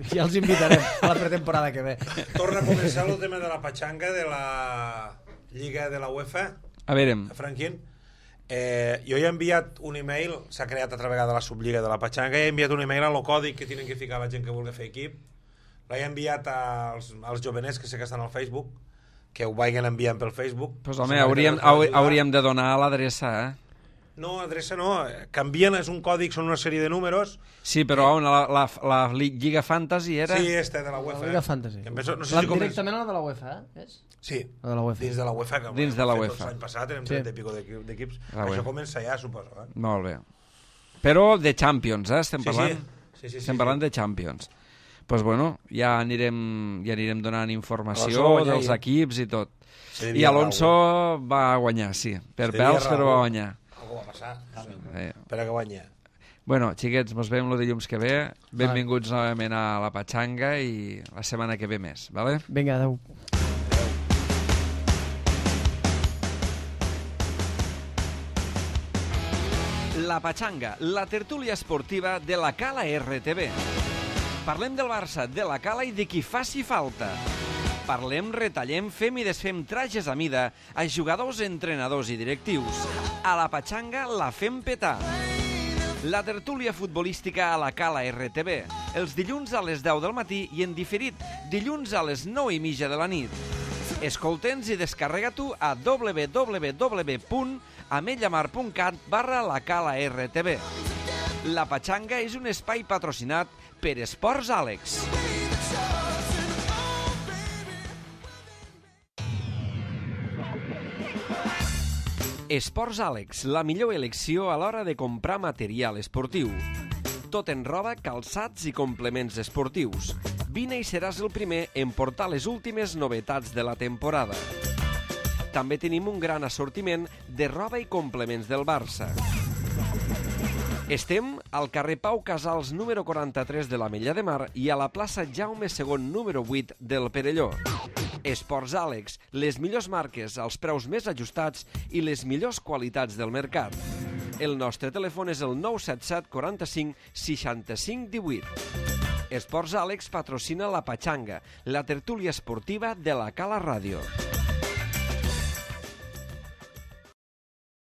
Ja els invitarem a la pretemporada que ve. Torna a començar el tema de la patxanga de la Lliga de la UEFA. A veure. Franquín. Jo he enviat un email, s'ha creat altra vegada la sublliga de la patxanga, he enviat un email a lo còdic que tenen que ficar la gent que vulgui fer equip. L'he enviat als jovenets que sé que estan al Facebook, que ho vagin enviant pel Facebook. Pues home, hauríem de donar l'adreça, No, adreça no, canvien, és un còdic, són una sèrie de números. Sí, però la Lliga Fantasy era... Sí, de la UEFA. La Lliga Fantasy. Directament a la de la UEFA, és? Sí, dins de la UEFA. Dins de la UEFA. L'any passat érem 30 i pico d'equips. Això comença ja, suposo. Molt bé. Però de Champions, estem parlant? Sí. Estem parlant de Champions. Doncs bueno, ja anirem donant informació dels equips i tot. I Alonso va guanyar, sí. Per pèls, però va guanyar. Algú va passar. Per a que guanya. Bueno, xiquets, mos veiem el dilluns que ve. Benvinguts novament a la Patxanga i la setmana que ve més, vale? Vinga, adeu. La Patxanga, la tertúlia esportiva de la Cala RTV. Parlem del Barça, de la Cala i de qui faci falta. Parlem, retallem, fem i desfem trajes a mida a jugadors, entrenadors i directius. A la Patxanga la fem petar. La tertúlia futbolística a la Cala RTV, els dilluns a les 10 del matí i en diferit dilluns a les 9:30 de la nit. Escolta'ns i descarrega-t'ho a www.ametlllamar.cat/lacala-rtv. La Patxanga és un espai patrocinat per Esports Àlex. Esports Àlex, la millor elecció a l'hora de comprar material esportiu. Tot en roba, calçats i complements esportius. Vine i seràs el primer en portar les últimes novetats de la temporada. També tenim un gran assortiment de roba i complements del Barça. Estem al carrer Pau Casals número 43 de l'Ametlla de Mar i a la plaça Jaume II número 8 del Perelló. Esports Àlex, les millors marques, els preus més ajustats i les millors qualitats del mercat. El nostre telèfon és el 977 45 65 18. Esports Àlex patrocina la Patxanga, la tertúlia esportiva de la Cala Ràdio.